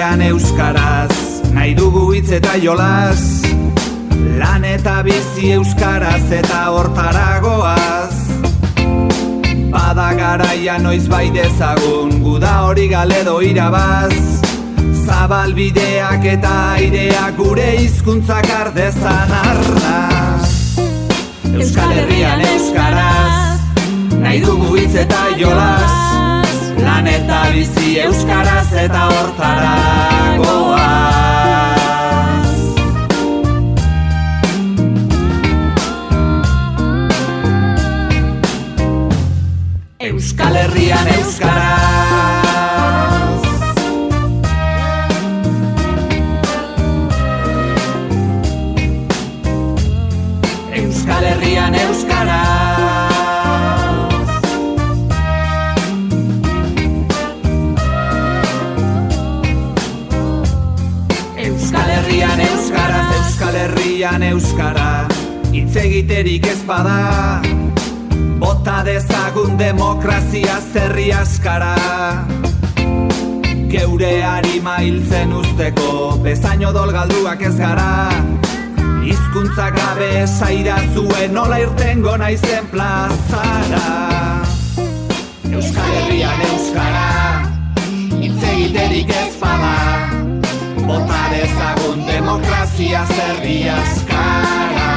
Herrian euskaraz, nahi dugu hitz eta jolas, lan eta bizi euskaraz eta hortaragoaz. Bada garaia noiz bai dezagun, guda hori galedo irabaz, zabalbideak eta aireak gure hizkuntzak ardezan arnaz. Euskal Herrian euskaraz, nahi dugu hitz eta jolas, lan eta bizi euskaraz eta hortaragoaz. Euskal Herrian euskaraz. Euskal Herrian euskaraz. Euskal Herrian euskaraz, Euskal Herrian euskara, hitz egiterik ez bada, bota dezagun demokrazia zerri askara. Geure harima hiltzen usteko, bezain odol galduak ez gara, hizkuntza gabe esaira zuen nola irtengo naizen plazara. Euskal Herrian euskara, hitz egiterik ez bada, bota dezagun demokrazia zerri askara.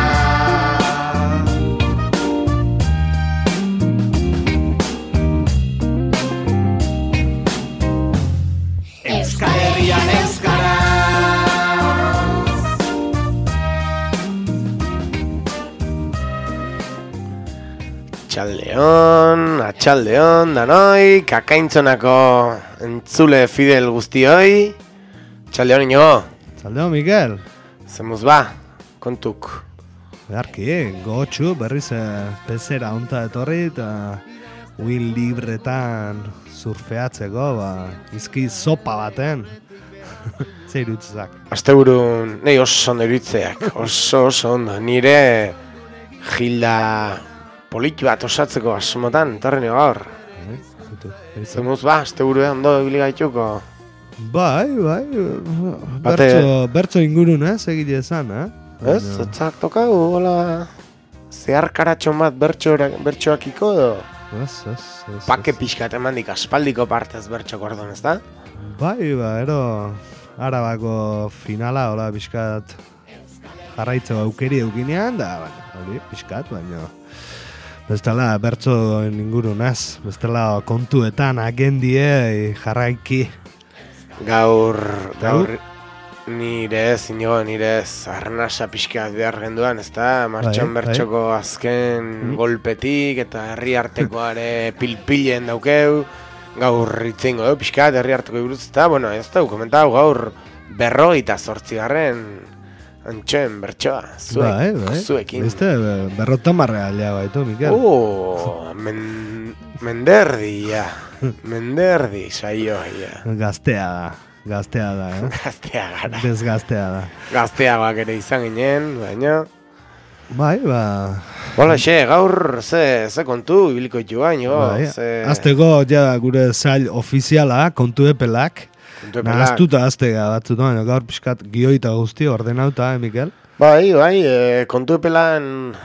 Euskal Herrian euskaraz. Atxaldeon, danoi, kakaintzonako entzule fidel guztioi. Atxaldeon, Inigo. Atxaldeon, Mikel. Zemuz ba, kontuk. Beharki, gotxu, berriz pezera onta etorri eta Will libretan surfeatzeko, izki sopa baten. Zer irutzak? Asteburun, nahi oso ondo irutzeak, oso ondo. Nire gilda poliki bat osatzeko asmotan, etorri nio gaur. Zemuz ba, asteburuen ondo ibili gaituko. Bai, bertso ingurun, egite esan, Ez, etzak tokau, hola, zehar karatxon bat bertsoakiko edo? Ez. Pake pixkat emandik aspaldiko partez bertxok orduan, ez da? Bai, ero Arabako finala, hola, pixkat jarraitzeko aukeri eukinean, da, hori, pixkat, baina bestela bertso ingurunaz, bestela kontuetan agendie jarraiki. Gaur, nire ez, arnasa pixkat behar genduan, ez da? Martxon bertxoko azken golpetik eta herri artekoare pilpilen daukeu. Gaur itzeingo du pixkat herri arteko buruz, eta, bueno, ez da, komentau gaur 58. Antxoen bertsoa, zuekin. Beste, 50 aldea baitu, Mikel. Menderdi, saio. Gaztea da, Gaztea gara. Desgaztea da. Gazteagoak ere izan ginen, baina... Bai, Hola, gaur ze kontu ibiliko ditu baino. Azteko ja gure zail ofiziala, kontu epelak. Nahaztuta aztega batzutan, gaur pixkat gioita guzti ordenauta, Mikel? Bai, kontu epelan,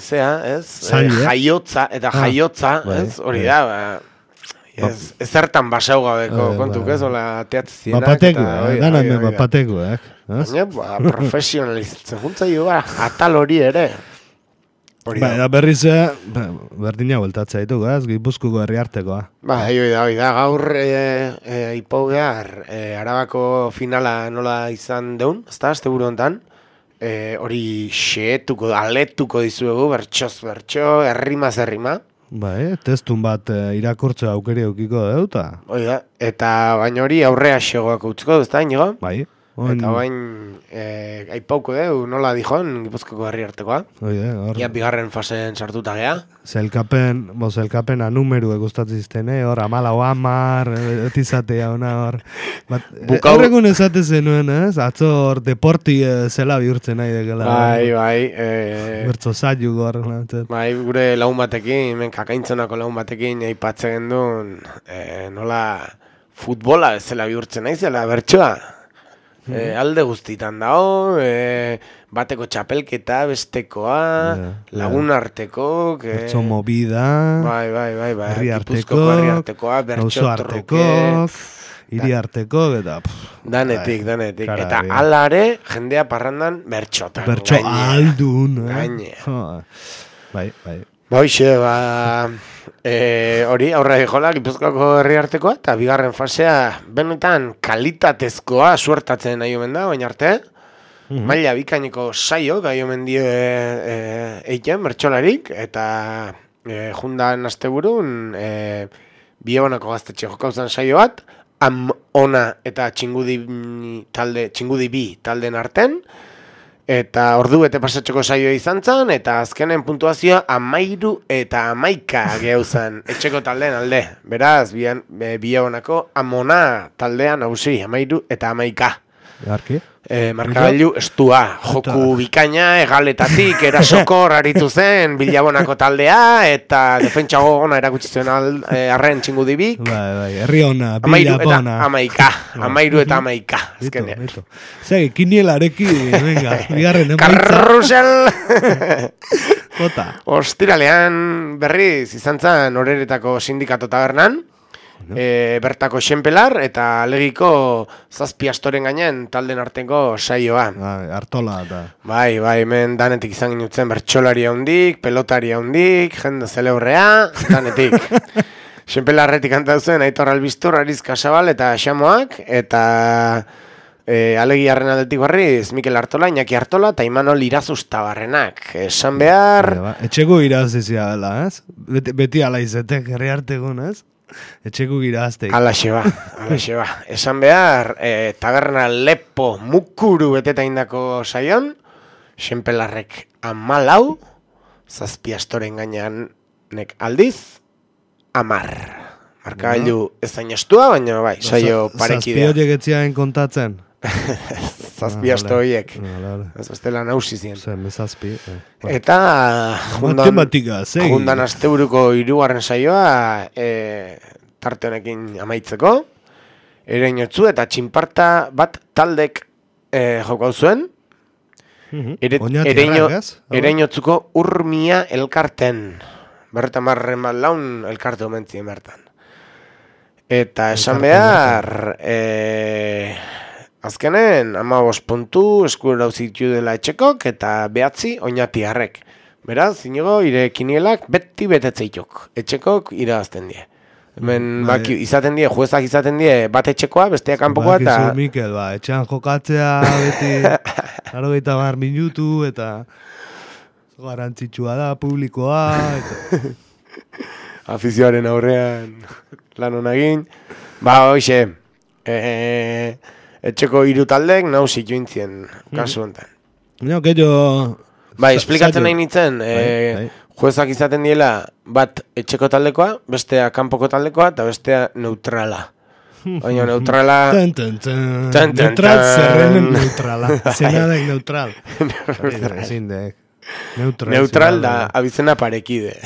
jaiotza, ez, hori da, ez zertan basau gabeko kontuk ez, hola teatzienak. Bapatekuak. Baina, profesionalizatzen juntzaio atal hori ere. Baina berriz, berdina bueltatzea ditugu, Gipuzkoako herri artekoa. Hoi da, gaur ipau behar, Arabako finala nola izan deun, ez da, asteburu hontan, hori aletuko dizuegu, bertsoz bertso, errimaz errima. Testun bat irakurtzea aukeri eukiko deuta. Hoi da, eta baina hori aurrea xegoak utziko du, ez da, Inigo? Bai. Eta bain, aipauko deu, nola dijon, Gipuzkoako herri artekoa. Ia bigarren faseen sartuta gea. Zelkapena numeru gustatzen zizten, hor, 14, etizatea ona hor. Horregun esate zenuen, atzo hor, deporti zela bihurtzen nahi dekela. Bai. Bertzo zailu gor. Bai, gure laun batekin, kakaintzonako laun batekin, aipatzen gendun, nola... futbola bezala bihurtzen naizela bertsoa. Alde guztitan dago, bateko txapelketa, bestekoa, lagun arteko, bertso movida, herri artekoa, bertso artekok, hiri arteko, eta danetik, eta alare jendea parrandan bertxotan. Bertso aldun, gaine. Bai. Hoxe, hori aurre jola Gipuzkoako herri artekoa, eta bigarren fasea benetan kalitatezkoa suertatzen nahi omen da, baina arte, maila bikaineko saio gai omen dio eiken bertsolarik, eta jundan asteburun Biebonako gaztetxe jokauzan saio bat, Ona eta Txingudi bi taldeen arten, eta ordu bete pasatxoko saioa izan zen, eta azkenen puntuazioa 13 eta 11 gehauzan etxeko taldeen alde. Beraz, Biebonako Amona taldean nagusi, 13 eta 11. Garki? Markagailu estua, joku bikaina, egaletatik, erasokor aritu zen, Bilabonako taldea, eta defentsa gogona erakutsi zuen arren Txingudibik. Bai, herri ona, Bilabona. 13 eta 11, azkenean. Zegi, kinielarekin, venga, bigarren emaitza. Karrusel! Jota. Ostiralean berriz izan zen Oreretako sindikato tabernan, bertako xenpelar eta alegiko 7 astoren gainen talden arteko saioa. Artola eta. Bai, hemen danetik izan ginutzen bertsolaria hundik, pelotaria hundik, jende zelebrea, danetik. Xenpelarretik kantauzen Aitor Albistur, Ariz Kasabal eta Xamoak, eta alegiarren aldetik barriz Mikel Artola, Iñaki Artola eta Imanol Irazustabarrenak. Esan behar... Etxeko irazizia dela, ez? Beti ala izetek, herri artegun, ez? Etxeko girazteik. Alaxe ba. Esan behar, taberna lepo mukuru beteta indako saion, xenpelarrek 14, 7 astoren gainean nek aldiz, 10. Markagailu ezain estua, baina bai, saio parekidea. 7 horiek etziaen kontatzen? 7 asto horiek. Ez bestela nausi zien. Eta jundan asteburuko 3. saioa tarte honekin amaitzeko. Ereñotzu eta txinparta bat taldek jokau zuen. Ereñotzuko Urmia elkarten. Bertan barren bat laun elkarte omentzien bertan. Eta esan behar... Azkenen, 15 puntu eskura dauzitu dela etxekok eta 9 oinatiarrek. Beraz, inigo, ire kinielak beti betetzeitok. Etxekok irabazten die. Hemen izaten die, juezak izaten die bat etxekoa, bestea kanpokoa eta... Bakizu, Mikel, etxean jokatzea beti 80 minutu eta garantzitsua da, publikoa eta... Afizioaren aurrean lan honagin. Hoxe, etxeko 3 taldek nausik jointzien kasu honetan. Esplikatzen nahi nintzen, juezak izaten diela bat etxeko taldekoa, bestea kanpoko taldekoa eta bestea neutrala. Baina neutrala... Neutral zerrenen neutrala. Zenadek neutral. Neutral da abizena parekide.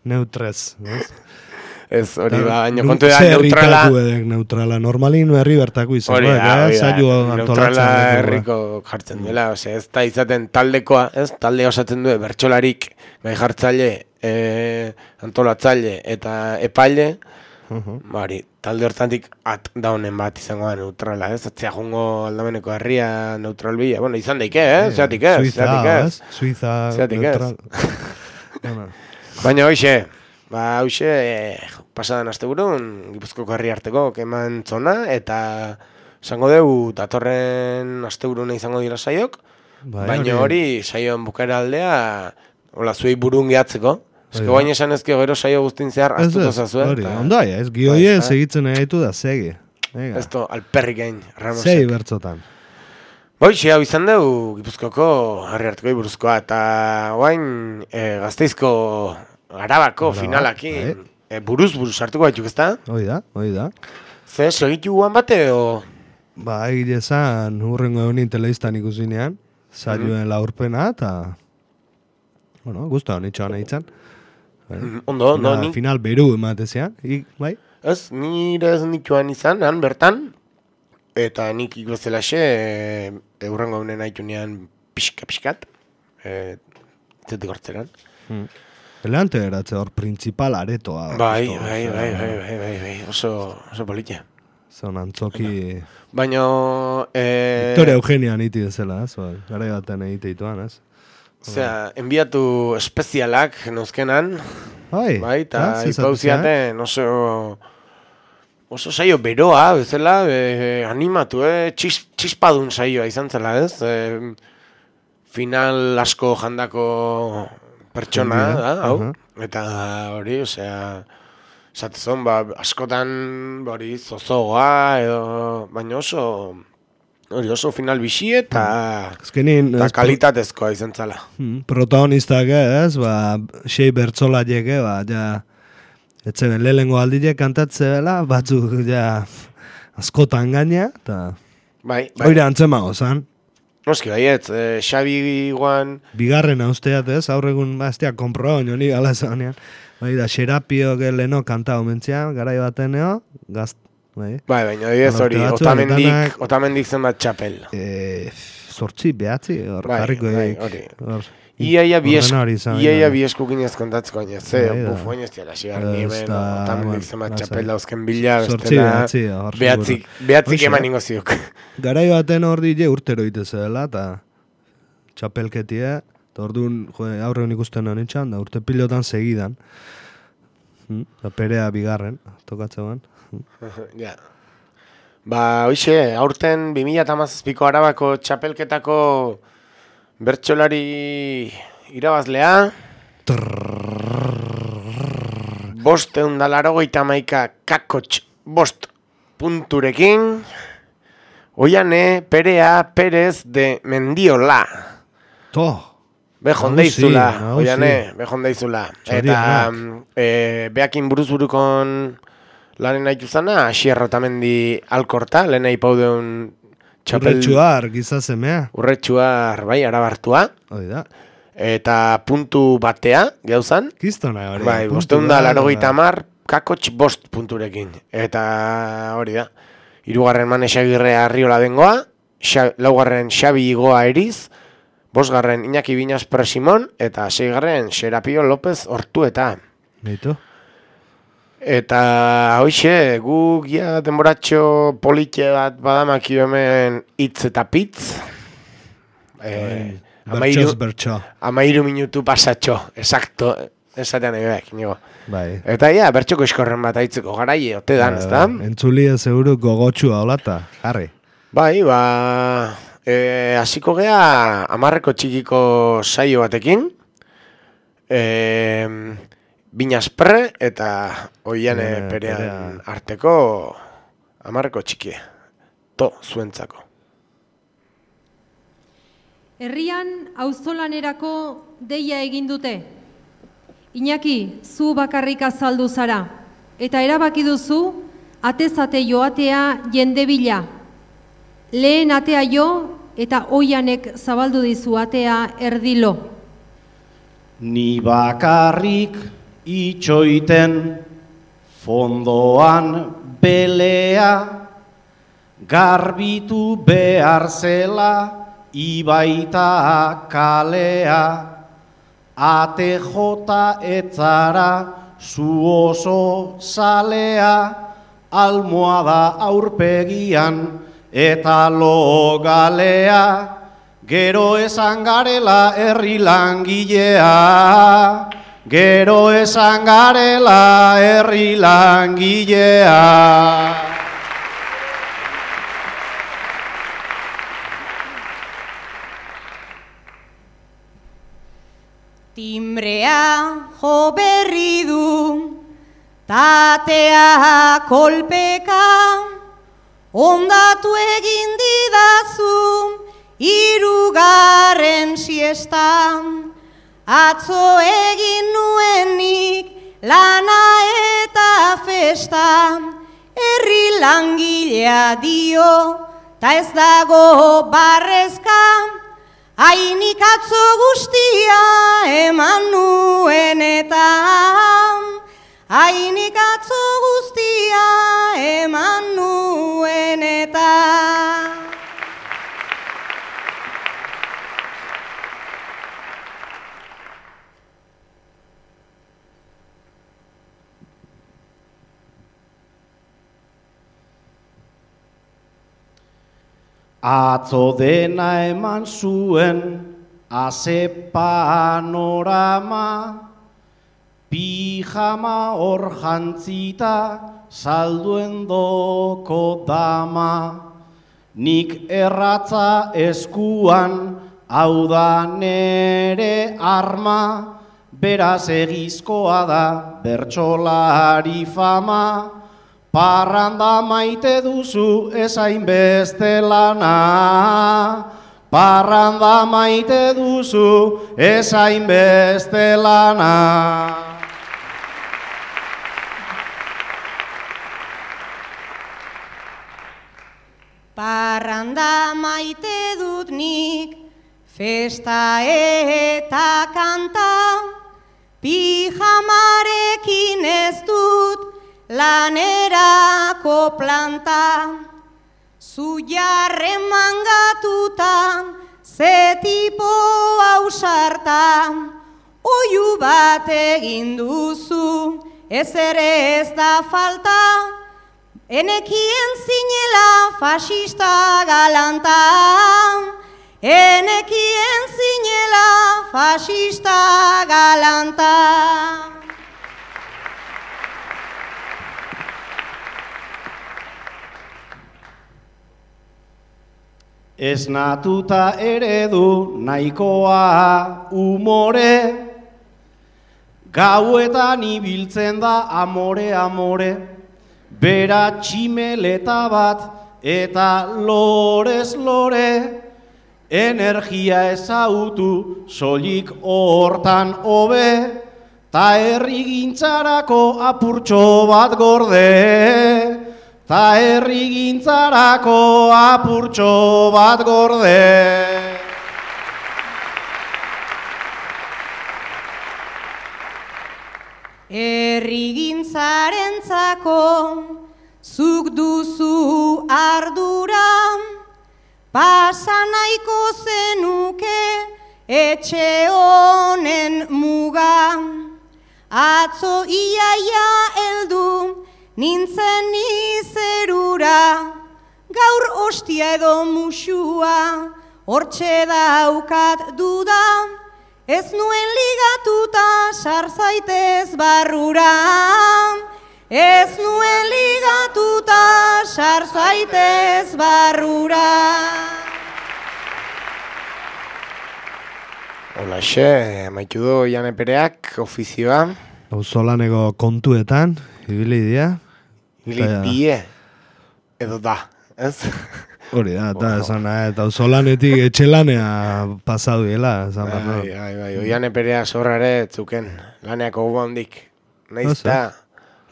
Neutrez, ez, hori baina kontu da neutrala... Neutrala, normalin herri bertako izan. Neutrala herriko jartzen duela, ez da izaten taldekoa, ez, talde osatzen du, bertsolarik, gai jartzaile, antolatzaile eta epaile, talde hortatik daunen bat izango da neutrala, ez, atzea jongo aldameneko herria neutral bila, bueno, izan daike, zeatik ez, Suiza, neutral. Baina hoxe, pasadan asteburun Gipuzkoako herri arteko keman zona, eta esango dugu datorren asteburuna izango dira saiok, baina hori saioan bukaera aldea, hola, zuei burun gehatzeko. Ezko baina esan ezkio gero saio guztin zehar astuko zazue. Ondai, ez gioie segitzen egitu da, segi. Ez to, alperrik egin, Ramosek. Segi bertzotan. Boixi, hau izan dugu Gipuzkoako herri arteko buruzkoa, eta guain Gasteizko Arabako finalakin buruz hartuko baituk, ezta? Hoi da. Ze, segitu guan bate, o? Egile zan, hurrengo egunin telebistan ikusinean, saioen laurpena, eta... Bueno, guztua honitxoan eitzan. Ondo, Final beru ematezean, bai? Ez, nire ez nituan izan, han bertan, eta nik ikozelaxe eurrengo honen haitunean pixkat, zetik hortzeran. Elante eratze hor, principal aretoa. Bai, oso politia. Zon antzoki... Baina... Victoria Eugenia niti dezela, gara batean egiteituan, ez? Osea, enbiatu espezialak nozkenan, bai, eta ipauziaten oso saio beroa, bezala, animatu, txispadun saioa izan zela, ez? Final asko jandako pertsona, da, hau? Eta hori, osea, esatezon, askotan hori zozoa, edo, baina oso final bixi eta kalitatezkoa izan zala. Protagonistak ez, sei bertzola jeke, etzen lehengo aldile kantatzea, batzuk askotan gaina, eta oire antzemago zan. Noski baiet, Xabi guan... Bigarren austeat ez, aurregun bastia komproa honi gala zanean. Da, Xerapio leno kantao mentzian, garai bateneo, baina ez hori, otamendik zenbat txapel. 8, 9, hor jarriko hori. Iaia bieskukin ez kontatzeko baina, bufoin ez diala xigar nimen, otamendik zenbat txapel dauzken bila, behatzik eman ingo ziuk. Garai baten hor dide urtero itezela, eta txapelketie, eta orduan aurreun ikusten honitxan, da urte pilotan segidan. Perea bigarren, tokatzean. Ja. Hoxe, aurten 2017ko Arabako txapelketako bertsolari irabazlea 581 kakotx 5 punturekin Oiane Perea Pérez de Mendiola. Bejondeizula, Oiane, bejondeizula. Eta beakin buruzburukon laren haitu zana, Asier Otamendi Alkorta, lehen haipaudeun txapel... Urretxuar, gizazemea. Urretxuar, bai, arabartua. Oida. Eta puntu batea, gauzan. Kiztona, hori. Bai, 580 kakotx 5 punturekin. Eta hori da. 3. Mane Xagirre Arriola dengoa, 4. Xabi Igoa Eriz, 5. Iñaki Biñas Presimon, eta 6. Xerapio López Hortueta. Beitu. Eta hoxe, guk denboratxo politxe bat badamakio hemen hitz eta pitz. Bertxo. 13 minutu pasatxo, exacto, esatean ebeak, nigo. Bai. Eta bertxoko eskorren bat aitzeko garaie, ote dan, ez da? Entzulia seguru gogotxua holata, jarri. Bai, hasiko gea 10 txikiko saio batekin. Binaspre eta Oiane Perean arteko 10 txikie. Zuentzako. Herrian auzolanerako deia egin dute. Iñaki, zu bakarrik azaldu zara. Eta erabaki duzu, atezate joatea jende bila. Lehen atea jo eta Oianek zabaldu dizu atea erdilo. Ni bakarrik itxoiten fondoan belea, garbitu behar zela ibaita kalea, ate jota etzara zu oso zalea, almohada aurpegian eta logalea, gero esan garela herri langilea, gero esan garela herri langilea. Timbrea jo berri du, tatea kolpeka, ondatu egin didazu, 3. siestan, atzo egin nuenik lana eta festa, herri langilea dio, ta ez dago barrezka, hainik atzo guztia eman nuen eta, hainik atzo guztia Atzo dena eman zuen, aze panorama, pijama hor jantzita, salduen doko dama. Nik erratza eskuan, hau da nere arma, beraz egizkoa da bertsolari fama. Parranda maite duzu ezain beste lana, parranda maite duzu ezain beste lana. Parranda maite dut nik, festa eta kanta, pijamarekin ez dut lanerako planta. Zu jarren mangatuta, ze tipo ausarta, oiu bat egin duzu, ez ere ez da falta. Enekien zinela fasista galanta, enekien zinela fasista galanta. Esnatuta eredu nahikoa umore, gauetan ibiltzen da amore, amore. Bera tximeleta bat eta lorez lore, energia ezautu soilik hortan hobe, ta herrigintzarako apurtxo bat gorde, ta herrigintzarako apurtxo bat gorde. Herrigintzarentzako zuk duzu ardura, pasa nahiko zenuke etxe honen muga. Atzo iaia heldu nintzen izerura, gaur ostia edo musua hortxe daukat duda. Ez nuen ligatuta sarzaitez barrura, ez nuen ligatuta sarzaitez barrura. Holaxe, amaitu du Jane Pereak ofizioa. Auzolaneko kontuetan, ibili dira. Ibili die, edo da, ez? Hori da, eta esan, eta auzolanetik etxelanea pasau diela. Bai, Oiane Perea zorrare etzuken, laneako guba hondik. Naiz eta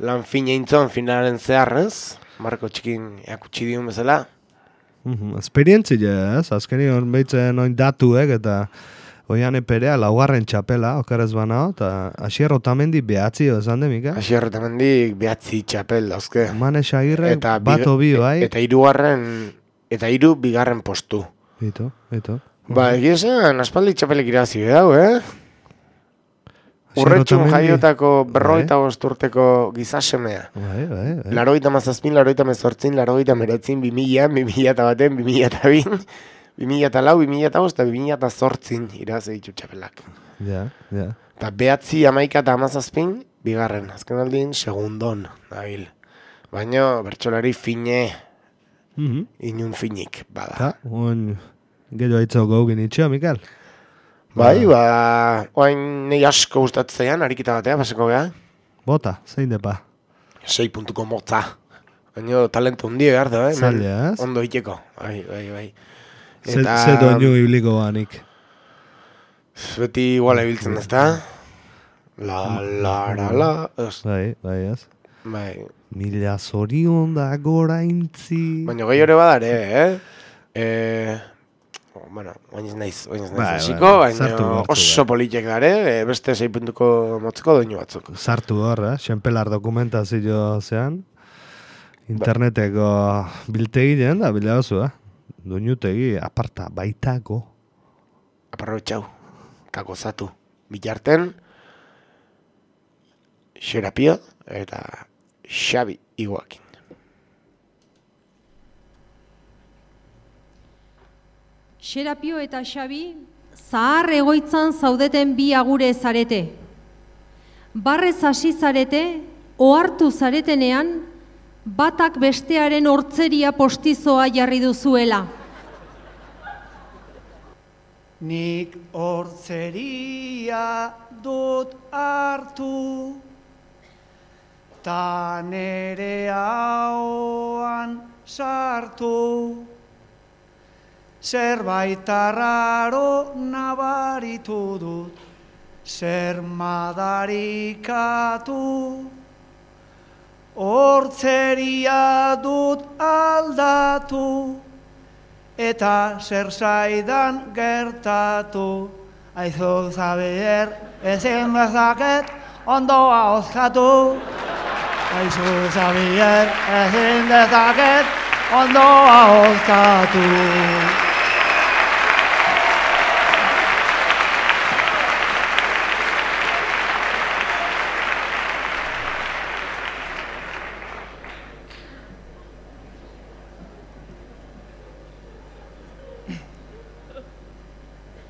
lan fine intzon finalen zehar, ez? Marko txikin eakutsi diun bezala. Esperientzia, ez? Azkeni hor behitzen oin datuek, eta Oiane Perea laugarren txapela, okeraz banao, eta Asier Otamendi behatzi, esan de, Mika? Asier Otamendi behatzi txapel, dauzke. Mane Xagirre bat obi, bai? Eta hiru bigarren postu. Ito. Ba, egizan, aspaldi txapelek irazi bedau, Urretxun jaiotako berroita bosturteko gizasemea. Bai. Larogeita mazazpin, larogeita mezortzin, larogeita meretzin, 2000, 2001, 2002, 2004, 2005, 2008 irazi ditu txapelak. Ja. Eta behatzi amaika eta amazazpin, bigarren. Azken aldin, segundon, nabil. Baina, bertsolari fine, inun finik, bada. Gero aitzau gaugin itxea, Mikael? Bai, oain nahi asko gustatzen arikita batea, paseko beha. Bota, zein depa? 6 puntuko motza. Baina talento hundi behar da, Zaila, ez? Ondo iteko, bai. Ze doinu ibliko banik. Beti iguala ibiltzen ez da. La. Bai, ez? Bai. Mila zorion da gora intzi. Baina gai hori badare, Bueno, oinez naiz hasiko, baina oso politek dare, beste 6 puntuko motzeko doinu batzuk. Sartu hor, Xenpelar dokumentazio zean, interneteko biltegi den da, bila oso, doinutegi aparta baitako. Aprobetxau, eta gozatu. Bilarten, Xerapio eta Xabi Iguakin. Xerapio eta Xabi, zahar egoitzan zaudeten bi agure zarete. Barrez hasi zarete, ohartu zaretenean, batak bestearen hortzeria postizoa jarri duzuela. Nik hortzeria dut hartu, ta nere ahoan sartu. Zerbait arraro nabaritu dut, zer madarikatu. Hortzeria dut aldatu, eta zer zaidan gertatu. Aizu Xabier, ezin dezaket ondoa hozkatu. Aizu Xabier, ezin dezaket ondoa hozkatu.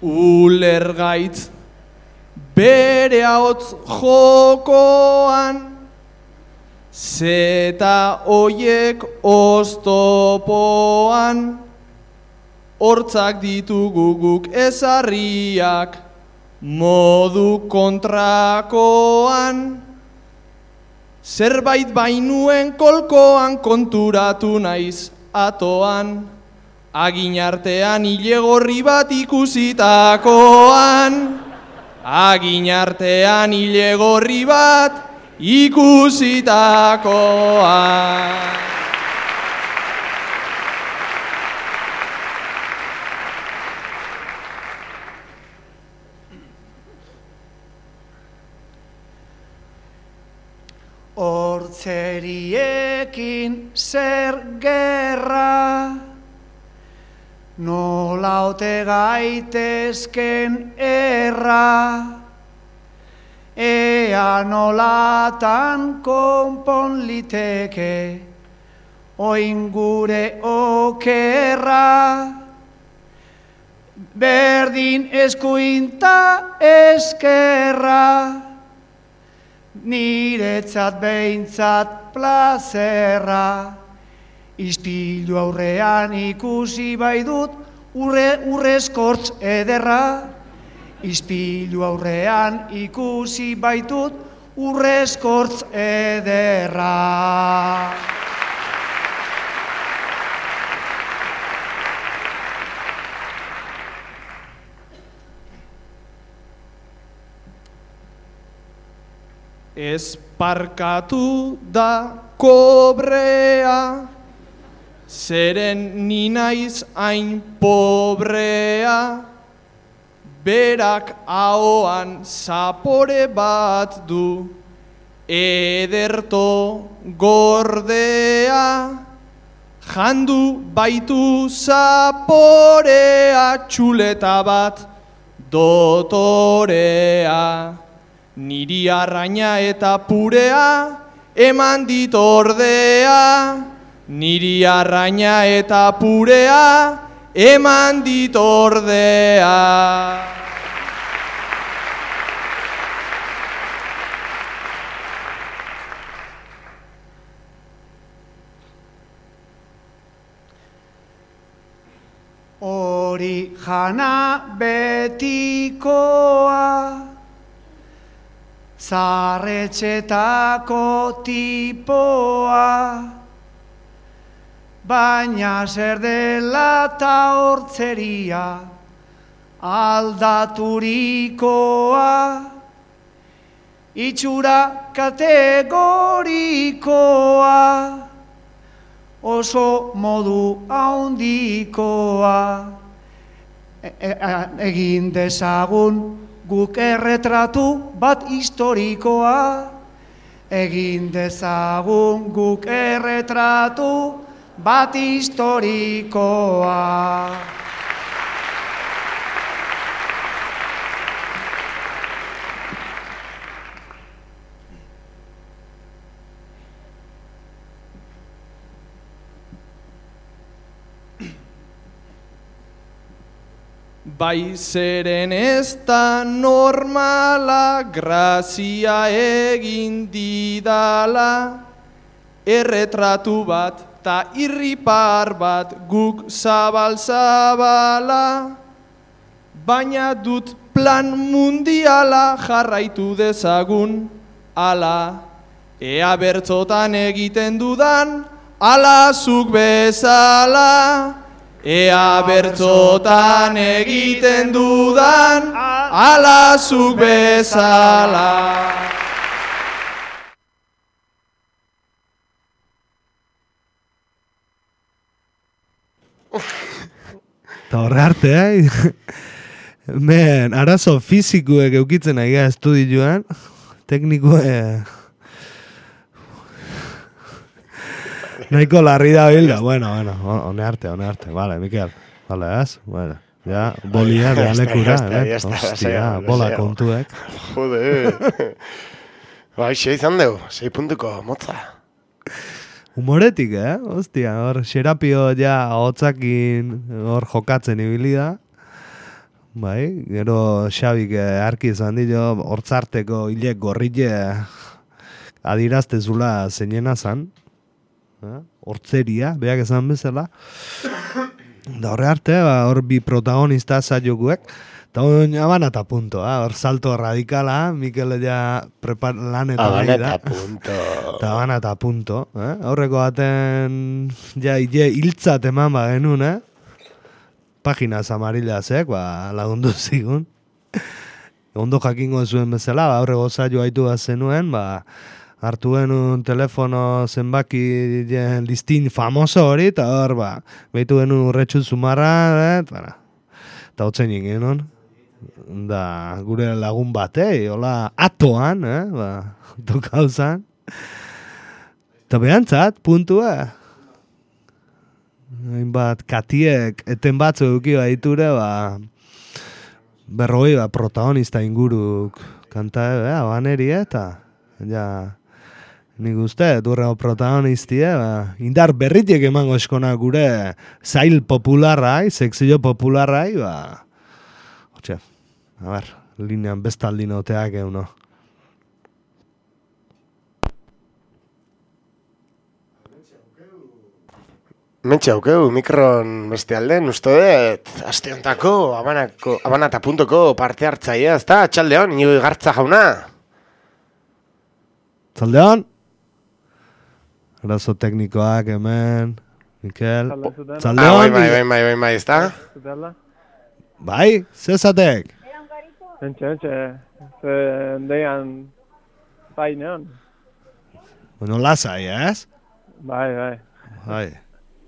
Ulergaitz bere ahots jokoan, zeta oiek oztopoan, hortzak ditugu guk ezarriak modu kontrakoan. Zerbait bainuen kolkoan konturatu naiz atoan, agin artean ilegorri bat ikusitakoan. Agin artean ilegorri bat ikusitakoan. Hortzeriekin zer gerra, nola ote gaitezken erra, ea nolatan konpon liteke, oin gure okerra. Berdin eskuinta eskerra, niretzat behintzat plazerra. Istilu aurrean ikusi bai dut urrezkortz ederra. Istilu aurrean ikusi bai dut urrezkortz ederra. Esparkatu da kobrea, zeren ni naiz hain pobrea. Berak ahoan zapore bat du, ederto gordea. Jandu baitu zaporea, txuleta bat dotorea. Niri arraina eta purea eman dit ordea. Niri arraina eta purea eman dit ordea. Hori jana betikoa, zarretxetako tipoa, baina zer dela ta hortzeria aldaturikoa, itxura kategorikoa, oso modu haundikoa. Egin dezagun guk erretratu bat historikoa. Egin dezagun guk erretratu bat historikoa. Bai zeren ez da normala, grazia egin didala, erretratu bat ta irripar bat guk zabal-zabala, baina dut plan mundiala jarraitu dezagun, ala, ea bertzotan egiten dudan, ala zuk bezala. Ea bertzotan egiten dudan, ala zuk bezala. Eta horre arte, Men, arazo fizikuek eukitzen aia estudioan, teknikoe... Nahiko larri da bilda, bueno, hone arte, vale, Mikel, vale, ez? Bueno, ja, bolia de alekura, hostia, bola kontuek. Jode, bai, 6 izan dugu, 6 puntuko, motza. Humoretik, hostia, hor, Xerapio ja hotzakin hor jokatzen ibili da. Bai, gero Xabik arki izan dio, hortzarteko hilek gorrile adiraztezula zeinena zan. Hortzeria, beak esan bezala. Da horre arte, hor bi protagonista saiokuek. Eta hori abanata punto, hor salto radikala, Mikel ja lanetan ari da. Eta abanata punto. Horreko baten, ja, hiltzat eman genuen, Paginas amarillasek, lagundu zigun. Ondo jakingo zuen bezala, horrego saio haitu bat zenuen, hartu genuen telefono zenbaki listin famoso hori, eta hor, behitu genuen urretxu zumarra, eta hotzen genuen. Da, gure lagun batei, hola, atoan, tokauzan. Eta behantzat, puntua. Hainbat, katiek, eten batzu eduki baiture, berroi, protagonista inguruk kanta, baneri, eta, ja... Nik uste, durrego protagonistie, indar berritiek emango eskona gure zail popularrai, sekzio popularrai, Hortxe, a ber, linean bestaldin oteak euno. Mentxe aukeu, mikron beste alden, uste dut, aste hontako, abanata.ko parte hartzaia, ezta, txaldeon, Inigo Igartza jauna. Txaldeon? Arazo teknikoak hemen, Mikel. Txaldeon? Bai, ezta? Bai, zezatek? Entxe, deian zainean. Bueno, lasai, ez? Bai.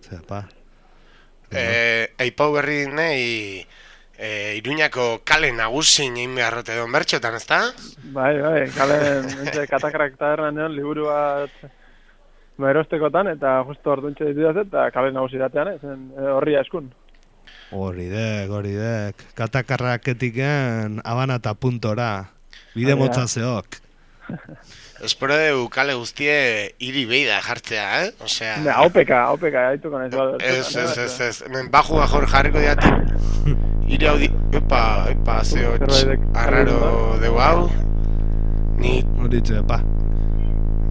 Zepa. Eipau berri nahi Iruñako kale nagusin egin beharrote edo bertxotan, ezta? Bai, kale katakrak tabernan egon liburu bat erostekotan, eta justo orduntxe ditudaz eta kale nagusiratean, horria eskun. Horidek. Katakarraketiken abanata puntora. Bide motzazeok. Espero dugu kale guztie hiri beida jartzea, Osea... Haupeka, haituko nahiz bat. Ez. Hemen baju bajor jarriko diatik. Hiri hau di... Epa, zeo arraro dugu hau. Horitze, epa.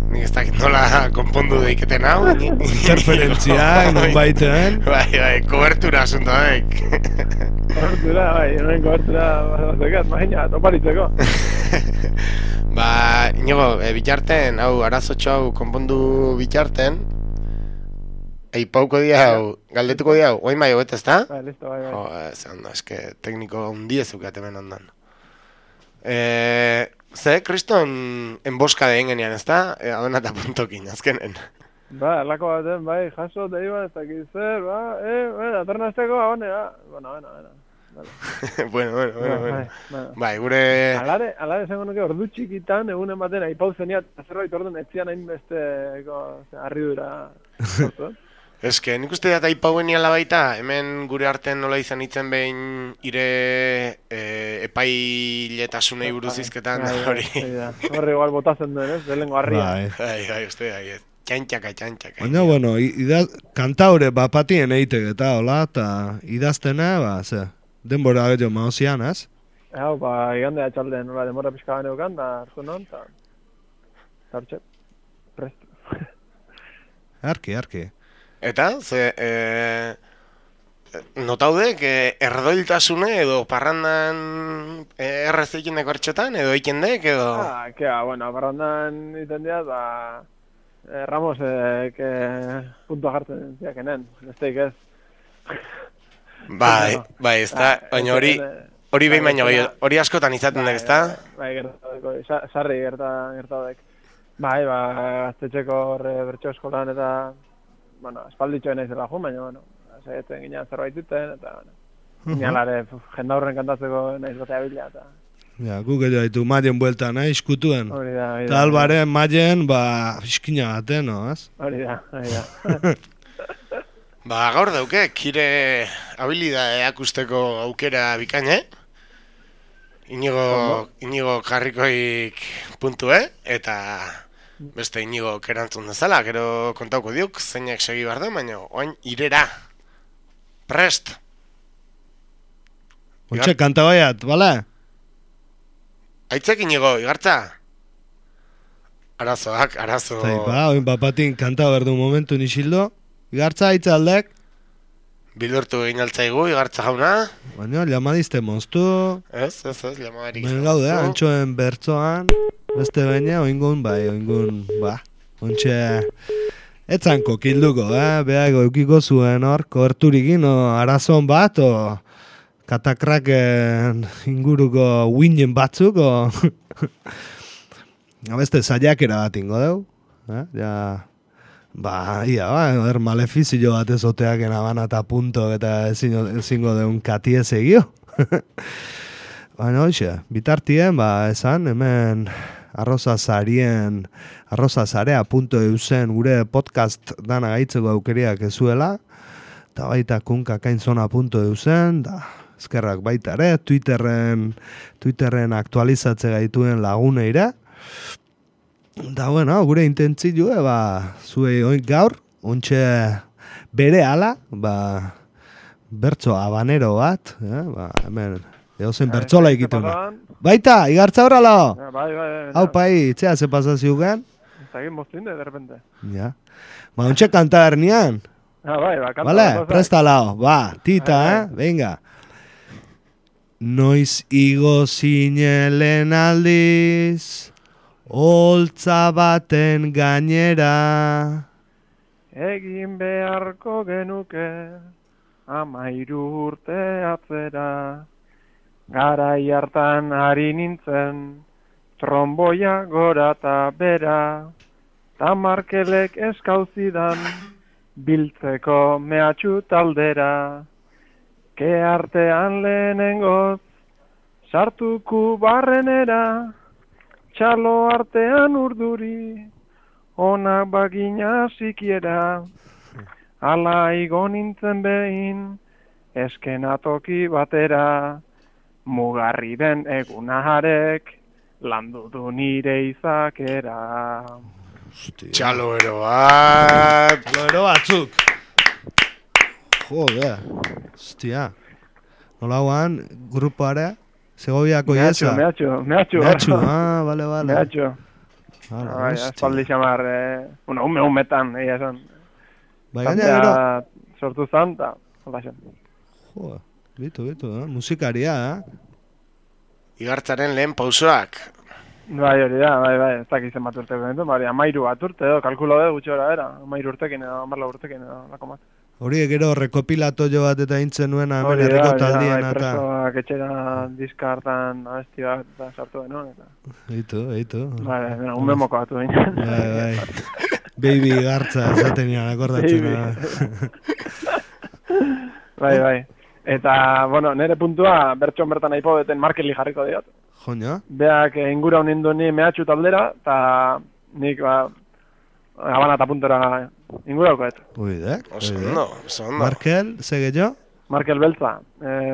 Nik ez dakit nola konpondu deiketen hau. Interferentzia, non baitean. Bai, kobertura asunto daik. Kobertura, noen kobertura batekat, maina, toparitzeko. Inigo, bitarten, hau, arazotxo hau konpondu bitarten, Eipauko dia hau, galdetuko dia hau, oin bai hobet, ezta? Bai, listo, bai. Eske, tekniko undiezuk hemen ondan. Kriston enboska dehen genian, ezta? Abanata puntokin, azkenen. Lako baten, jaso, deiba, ez dakit zer, aternazteko, abonea. Bueno. Bai, gure... Alare esango nuke ordu txikitan, egunen baten, Aipau zeniat, zerbait orduan etzian hain besteko harridura. Eske, nik uste dut Aipauen iala baita, hemen gure artean nola izan itzen behin ire epailetasunei buruz izketan hori. Horre igual botazen duen, ez? Delengo harria. Bai, uste, txantxaka. Baina, bueno, kantaure bapatien eitek eta hola, eta idaztena, ze, denbora gehiago maozian, ez? Hau, igandea txalde, nola demora pixka gane ukan, da hartu non, eta hartxe, prest. Arki. Eta, notaudek erdoiltasune edo parrandan errezekineko hartxotan, edo ikendek, edo... Bueno, parrandan iten dira, Ramosek puntua jartzen ziakenen, besteik ez. Bai, ez da, baina hori behin baino, hori askotan izaten dek, ez da? Bai, gertadeko, sarri gertadek. Bai, gaztetxeko bertso eskolan eta, bueno, espalditxoen naizela jun, baina, bueno, segetzen ginean zerbait duten, eta, bueno, ginalare, jendaurren kantatzeko naiz batea bila, eta... Ja, guk edo haitu maien buelta nahi, iskutuen. Hori da. Eta albaren maien, fiskina baten, no, ez? Hori da. Gaur dauke, kire habilidade akusteko aukera bikaine. Inigo karrikoik puntue, eta beste Inigo kerantzun dezala, gero kontauko diuk, zeinak segi behar den, baina oain irera. Prest! Ontxe, kanta baiat, bale? Aitzek Inigo, igartza? Arazo. Oin papatin kanta berdu momentu nixildo. Igartza, aitza aldek? Bildurtu egin altzaigu, igartza jauna. Baina, llamadizte moztu. Ez, llamadarik. Ben gaude, antxoen bertzoan. Beste baina, oingun, ontxe... Etzanko kilduko, behago eukiko zuen hor, koberturikin, arazon bat, katakraken inguruko winen batzuk, beste zaiakera bat ingo deu. Malefizio bat ezoteak enabana eta punto eta ezingo deun katie segio. Baina hoxe, bitartien, esan, hemen arrozazarea.eusen gure podcast dana gaitzeko aukeriak ezuela, eta baita kunkakainzona.eusen, da... Ezkerrak baita ere, Twitterren aktualizatze gaituen laguneira. Da, bueno, gure intentzioa, zuei oin gaur, ontxe bere ala, bertso habanero bat, hemen, edozen bertsola egiten da. Baita, igartza horrela! Bai. Hau pai, itzea ze pasaziogan? Zagin moztinde, de repente. Ja. Ontxe kanta hernian? Kanta. Vale, prestalao, tita, venga. Noiz igo zinelen aldiz, holtza baten gainera. Egin beharko genuke, 13 urte atzera. Garai hartan ari nintzen, tromboia gora eta bera. Ta Markelek eskauzidan, biltzeko mehatxu taldera. Ke artean lehenengoz, sartuku barrenera, txalo artean urduri, onak bagina sikiera. Ala igo nintzen behin, eskenatoki batera, mugarri den egunaharek, landu du nire izakera. Txalo ero bat! Txalo ero batzuk! Joder, hostia. Nola guan, grupoare, Segoviako iesa. Mehatxu. Vale. Mehatxu. Espaldi xamar, umetan, egia esan. Gainera, sortu zan, eta alda zen. Joder, bitu, musikaria, Igartzaren lehen pausoak. Bai, hori da, ez dakizen bat urteko nintu, 13 bat urte, kalkulo dugu gutxi gora era, 13 urtekin edo, 14 urtekin edo, lako mat. Horiek gero rekopilato jo bat eta intzen nuen hemen herriko taldien eta... Presoak etxera diska hartan abesti bat eta sartu denun eta... Eitu. Bai, un memoko batu behin. Bai. Baby gartza esaten nian akordatzen. Bai. Eta, bueno, nire puntua bertxon bertan aipo beten Markeli jarriko diot. Joño? Beak ingura honindu ni mehatxu taldera, eta nik, Habana eta puntora ingurauko, Oidek. Oso Markel, sege jo? Markel Beltza,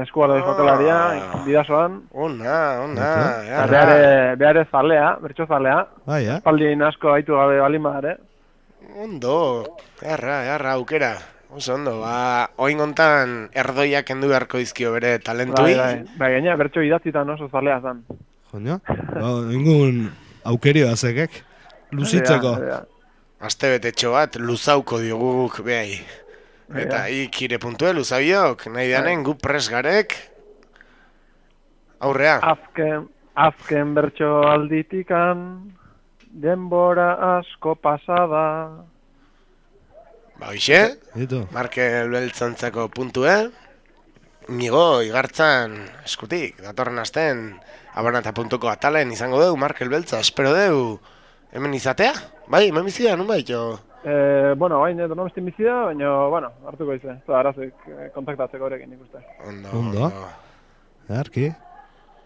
eskualo de jokalaria, bidazoan. Ona. Beare zalea, bertso zalea. Bai, Espaldin asko haitu gabe balima ere. Ondo, jarra, aukera. Oso ondo, oin gontan erdoiak kendu beharko dizkio bere talentui. Bai, gaina bertso idatzitan oso zalea zan. Joño? Ingun aukerio azekek, luzitzeko. Aste betetxo bat, luzauko dioguk behai. Eta ikire puntue, luzabiok, nahi danen gu pres garek. Aurrea. Azken bertso alditikan, denbora asko pasada. Hoxe, Markel Beltzantzako puntue. Nigo, igartzan eskutik, datorren asten abanata.ko atalen izango dugu Markel Beltza, espero dugu hemen izatea? Bai, hemen bizida, nun bai, jo? Bueno, bain, no bestin bizida, baina, bueno, hartuko izan, ez da, arazik kontaktatzeko horrekin ikuste. Ondo. Erki.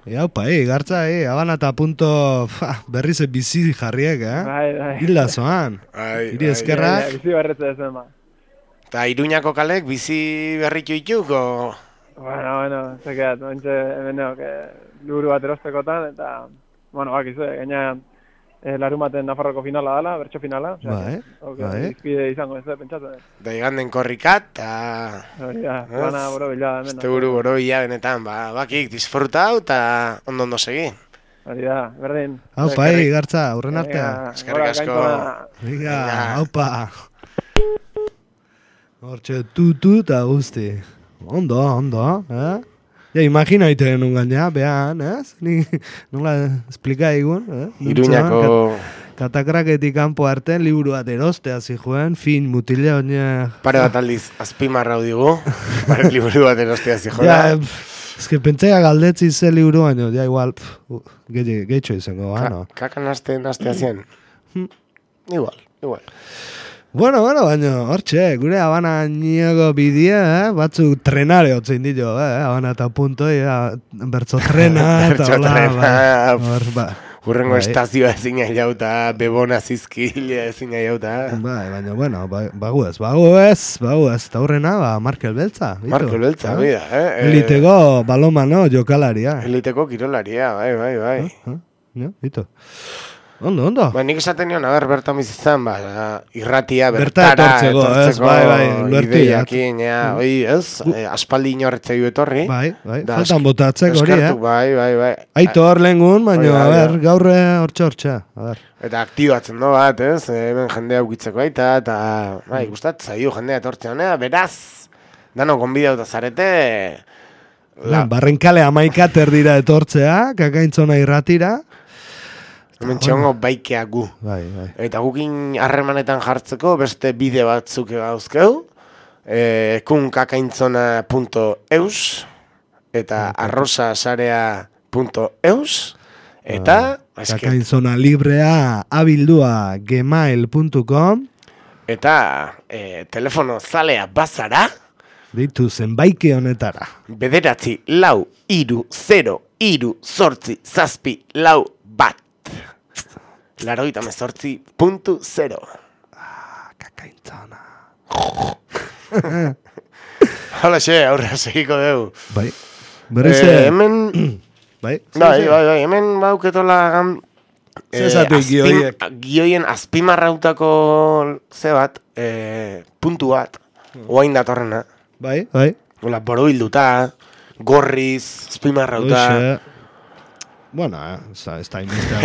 Haupa, gartza, abanata.ko berriz bizi jarriek, Bai. Hilda zoan. Iri eskerrak. Bizi berretze ezen, ba. Eta Iruñako kalek bizi berritu ituko? Bueno, zekeat, hemen neok, liburu bat erostekotan, eta, bueno, bakizu, gaina larun baten Nafarroko finala dela, bertso finala. Bai. Izpide izango ez, pentsatzen. Da iganden korrikat, eta... Plana borobila. Este buru borobila benetan, bakik disfrutau, eta ondo segi. Hori da, berdin. Haupa, gartza, aurren artea. Eskerrik asko. Venga, haupa. Hortxe, tutu eta guzti. Ondo, Ja, imagina iten nun gaina, behan, nola esplika egun, Iruñako... Katakraketik kanpo arten, liburu bat erostea zihuen, fin, mutile honia... Pare bat aldiz, azpimarrau digu, liburu bat erostea zihuen. Ja, eske pentsea galdetzi ze liburu baino, ja, igual, gehitxo izango, no? Kakan astea zien. Igual. Bueno, baina, hortxe, gure Habana niego bidea, batzuk trenare otzein dio, Habana eta punto, bertzo trena, eta hola, Urrengo estazioa ezin jauta, bebona zizkile ezin jauta. Baina, bueno, baguez, eta hurrena, Markel Beltza. Markel Beltza, bida, Eliteko balomano jokalaria. Eliteko kirolaria, bai. Ito. Ondo. Nik esaten nion, bertan bizitzan, irratia, bertara etortzeko, ideiakin, aspaldi inorretzei etorri. Bai, faltan botatzeko hori, Bai. Aitor lehengun, baina, gaurre hortxe, Eta aktibatzen do bat, hemen jendea ukitzeko aita, eta, gustatzen zaio jendea etortzen honea, beraz, dano gonbidauta zarete... Barrenkale amaikater dira etortzea, kakaintzona irratira, hemen txongo baikea gu. Bai. Eta gukin harremanetan jartzeko beste bide batzuk gauzkeu. Kunkakaintzona.eus eta arrosasarea.eus eta kakaintzona librea abildua gmail.com eta telefono zalea bazara ditu zenbaike honetara 94003 8 Kakaintzona. Hala aurra segiko dugu. Bai. Hemen... Bai, hemen bauketola... Gioien azpimarrautako zebat, puntu bat, oain datorrena. Bai. Ola, borobilduta, gorriz, azpimarrauta... Bueno, ez da inbiztea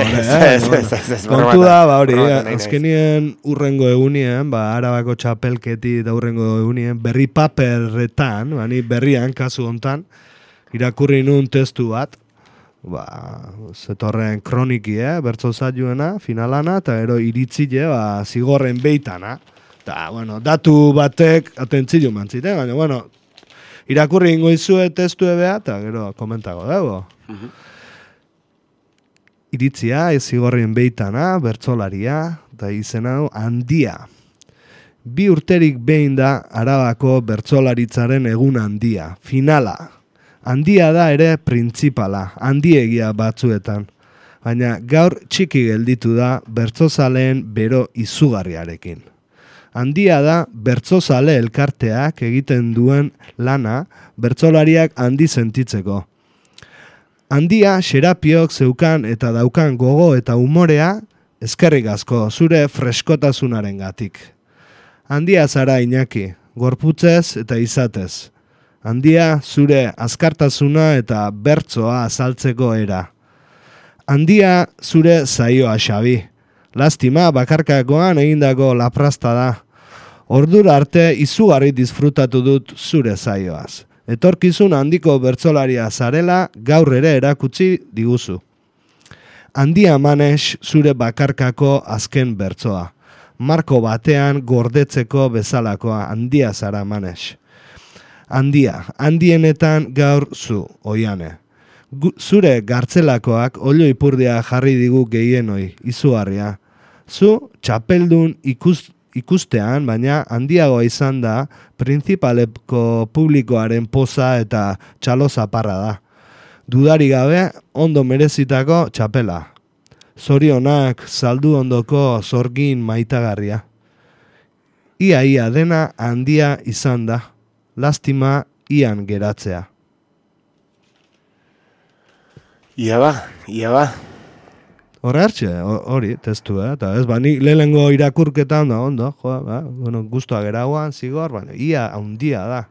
kontu da, hori, azkenien urrengo egunien, Arabako txapelketi da urrengo egunien, berri paperretan, berrian, kasu hontan, irakurri nun testu bat, zetorren kroniki, bertso zailuena, finalana, eta ero iritzile, zigorren beitana. Eta, datu batek atentzio mantzite, baina, irakurri ingoizue testu ebea, eta gero komentago dugu. Iritzia, zigorrien beitana, bertsolaria, eta izen hau handia. 2 urterik behin da Arabako bertsolaritzaren egun handia, finala. Handia da ere printzipala, handiegia batzuetan. Baina gaur txiki gelditu da bertsozaleen bero izugarriarekin. Handia da bertsozale elkarteak egiten duen lana bertsolariak handi sentitzeko. Handia, Xerapiok zeukan eta daukan gogo eta umorea, eskerrik asko, zure freskotasunaren gatik. Handia zara Iñaki, gorputzez eta izatez. Handia zure azkartasuna eta bertsoa azaltzeko era. Handia zure zaioa, Xabi. Lastima bakarkakoan egindako laprasta da. Ordura arte izugarri disfrutatu dut zure zaioaz. Etorkizun handiko bertsolaria zarela gaur ere erakutsi diguzu. Handia Manex zure bakarkako azken bertsoa. Marko batean gordetzeko bezalakoa, handia zara Manex. Handienetan gaur zu, Oiane. Zure gartzelakoak olio ipurdia jarri digu gehienoi, izugarria. Zu txapeldun ikustean, baina handiagoa izan da, printzipaleko publikoaren poza eta txalo zaparra da. Dudari gabe, ondo merezitako txapela. Zorionak saldu ondoko zorgin maitagarria. Ia dena handia izan da. Lastima ian geratzea. Ia ba. Hori, testu, eta ez, nik lehenengo irakurketan da, ondo, guztua geragoan, zigor, ia handia da.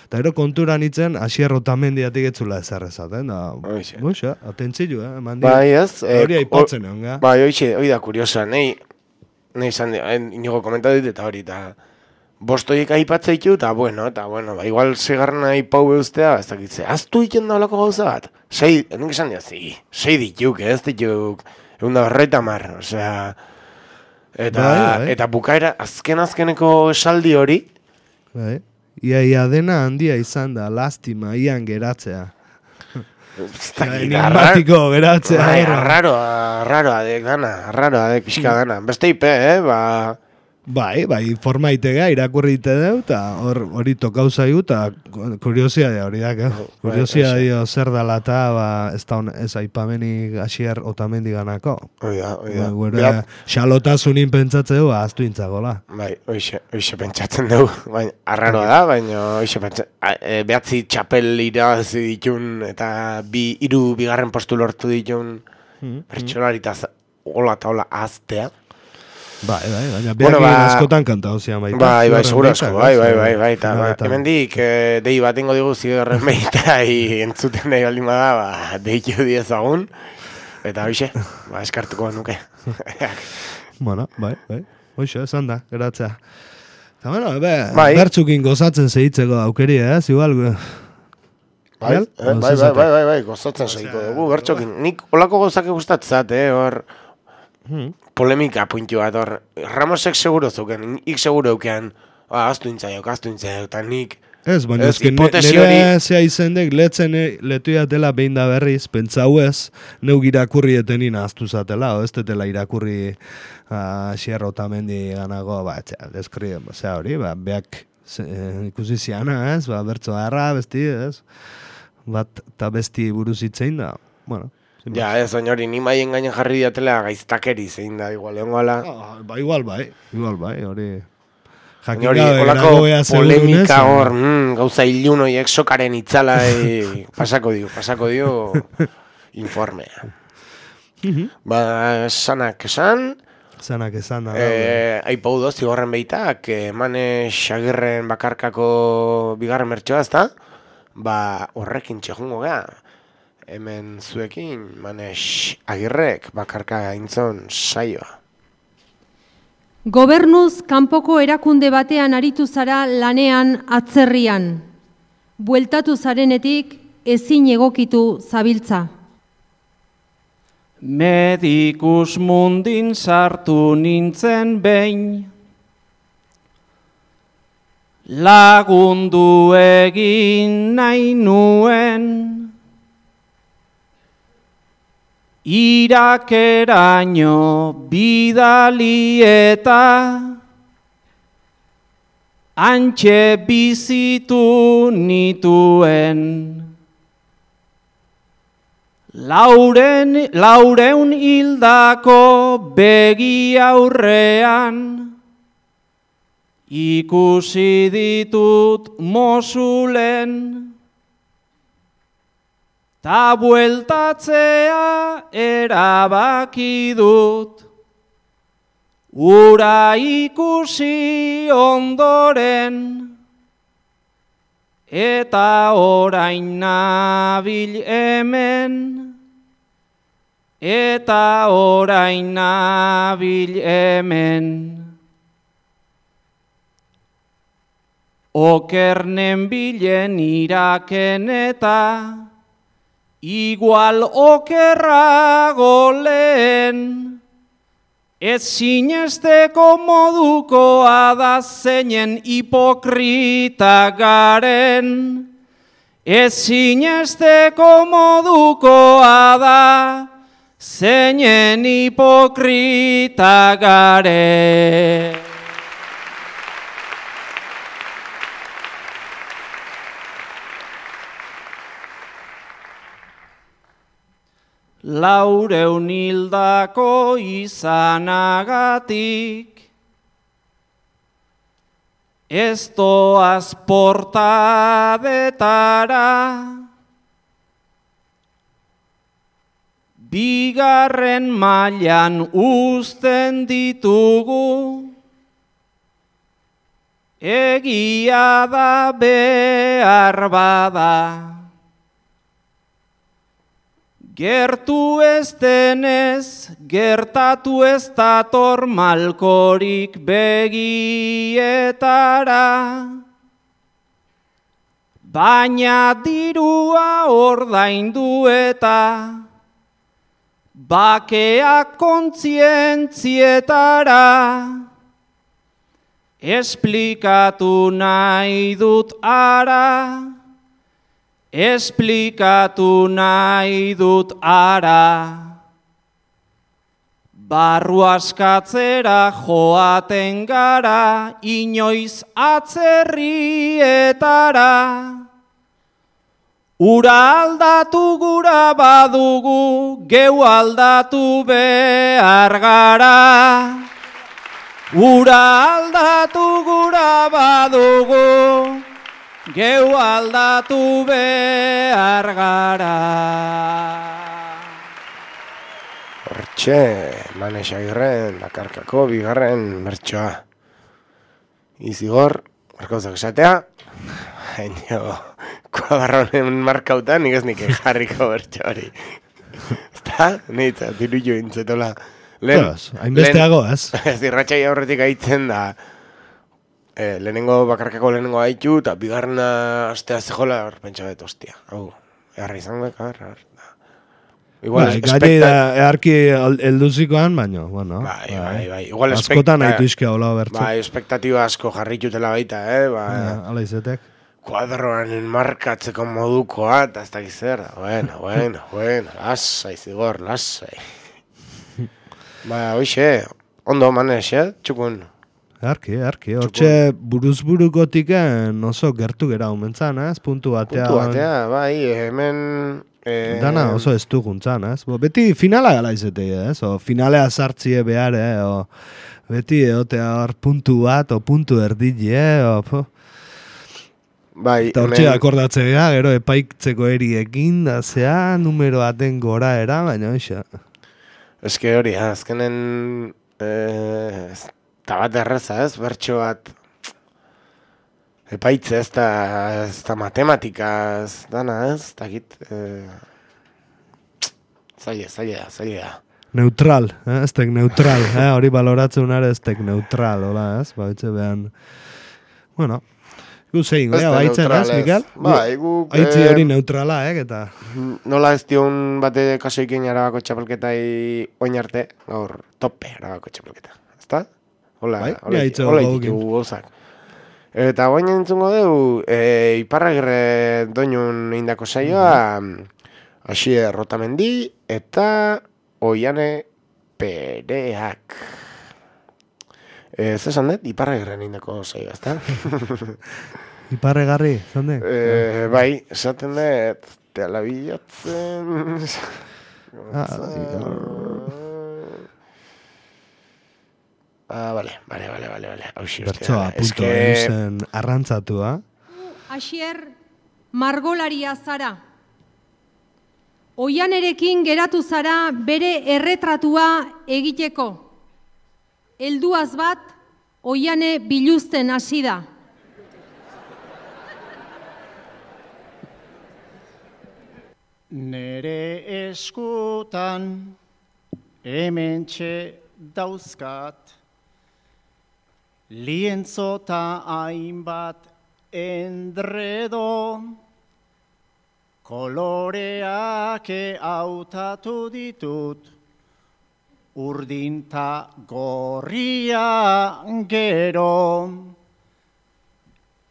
Eta ero konturan itzen, Asier Otamendiatik etzula ezarrezaten, atentzilu, bai ez, hori aipatzen egon, ga? Bai, hori da kuriosa, nahi izan, inigo komentatu dit, eta hori, eta bostoiek aipatzea ditu, eta bueno, igual segarren aipau beuztea, ez dakitze, aztu iten da olako gauza bat? Nik esan diazi, 6 dituk, ez dituk, 150, osea, eta bukaera, azkeneko esaldi hori, bai. Ia dena handia izan da, lastima, ian geratzea. Enigmatiko geratzea. Arraroa dek pixka dana. Beste ipe, Bai, formaitega irakurrite deu, eta hori tokau zaigu, eta kuriosidadea hori da, kuriosidadea zer dala eta ez da ez aipamenik Asier Otamendi ganako. Oida. Xalotasunin pentsatze du, aztu intzagola. Bai, oixe pentsatzen dugu, arraroa da, baina oixe pentsatzen, behatzi txapel irabazi ditun, eta 3 bigarren postu lortu ditun, pertsolaritaz hola eta hola aztea. Bai, baina behakin askotan kantau zian baita. Bai, seguro asko, bai, eta hemendik dei bat ingo digu zigarren behita entzuten nahi baldin bada, deitu diezagun, eta hoxe, eskartuko nuke. Bueno, bai, hoxe, esan da, geratzea. Eta bueno, bertzukin gozatzen zehitzeko aukeri, igual... Bai, gozatzen zehiko dugu, bertzukin. Nik olako gozake gustatzat, hor... Polemika puntu bat, hor, Ramosek seguro zeuken, ik seguro euken, aztu intzaiok, eta nik... Ez, baina nire zea izendek letu jatela behin da berriz, pentsau ez, neuk irakurri etenina aztu zatela, ez detela irakurri Asier Otamendi ganago, deskrien, hori, beak ikusi ziana, ez, bertzo harra, besti, ez, bat eta besti buruz itzein da, bueno... Ja, ez, hori, ni maien gainen jarri diatela gaiztakeri zein da, igual, igual, hori... Hori, olako polemika hor, gauza ilunoiek sokaren itzala, pasako dio, informea. Sanak esan, da. Aipau doz, zigorren behitak, Manex Agirren bakarkako bigarren mertxoa, ezta? Horrekin txegungo gea. Hemen zuekin, Manex Agirrek bakarka gaintzon saioa. Gobernuz kanpoko erakunde batean aritu zara lanean atzerrian. Bueltatu zarenetik ezin egokitu zabiltza. Medikus mundin sartu nintzen behin, lagundu egin nahi nuen, irakeraino bidali eta antxe bizitu nituen. Laureun hildako begi aurrean ikusi ditut mosulen. Ta bueltatzea erabaki dut, ura ikusi ondoren, eta orain nabil hemen, eta orain nabil hemen. Okernen bilen iraken eta igual okerrago lehen. Ez sinesteko modukoa da zeinen hipokrita garen. Ez sinesteko modukoa da zeinen hipokrita garen. Laureun hildako izanagatik, ez doaz portadetara, bigarren mailan uzten ditugu, egia da behar bada. Gertu ez denez, gertatu ez dator malkorik begietara. Baina dirua ordaindu eta bakeak kontzientzietara. Esplikatu nahi dut ara. Esplikatu nahi dut ara. Barru askatzera joaten gara, inoiz atzerrietara. Ura aldatu gura badugu, geu aldatu behar gara. Ura aldatu gura badugu, geu aldatu behar gara. Hortxe, Manes Agirren, Dakarkako bigarren bertsoa. Izigor, markauzak esatea, haino, kuadarronen markautan, nik ez nik jarriko bertso hori. Ezta? Nitza, diru jo intzetola. Hainbesteago, ez? Ez irratxai aurretik aitzen da, lehenengo bakarkako lehenengo haitu, eta bigarrena astea zehola, pentsa bet, ostia. Hau, eharra izango, igual gai da, eharki elduzikoan, baina, bueno. Bai. Igual askotan haituzke hola bertzu. Bai, espektatiba asko jarritutela baita, Hala izetek. Kuadroanen markatzeko modukoa, eta ez dakiz zer. Bueno, lasai, Zigor, lasai. Hoxe, ondo Manes, txukun. Arki, hortxe buruzburukotik oso gertu gera omentzan, ez? Puntu batea, bai, hemen... Dana oso ez duguntzan, ez? Beti finala gala izetea, ez? Finalea sartzie behar, beti eotea hor puntu bat, o puntu erdile, Bai, eta hortxe akordatzea, gero epaitzeko eriekin, da zea, numero baten gora era, baina hoxe. Ez que hori, azkenen... Eta bat erreza, ez? Bertxo bat epaitze, ez da matematika, ez dana, ez? Takit... Zaila. Neutral, ez tek neutral, hori baloratzen unare ez tek neutral, hola, ez? Baitze behan... Bueno, gu zein, baitzen, ez, Mikel? Bai, gu... Aitzi hori neutrala, eta... Nola ez dion bate kasoikin Arabako txapelketai oin arte, gaur tope Arabako txapelketa, ezta? Hola ditugu gozak. Eta guain entzungo dugu, Iparragirre doinun indako saioa, Asier Rotamendi eta Oiane Pereak. Zesan dut, Iparragirren indako saioa, ezta? Iparregarri, zande? Bai, esaten dut, teala bilatzen... Vale. Bertsoa, punto, eusen arrantzatua. Asier, margolaria zara. Oianerekin geratu zara bere erretratua egiteko. Helduaz bat, Oiane biluzten hasi da. Nere eskutan hementxe dauzkat, lientzo ta hainbat endredo, koloreak hautatu ditut, urdin ta gorria gero.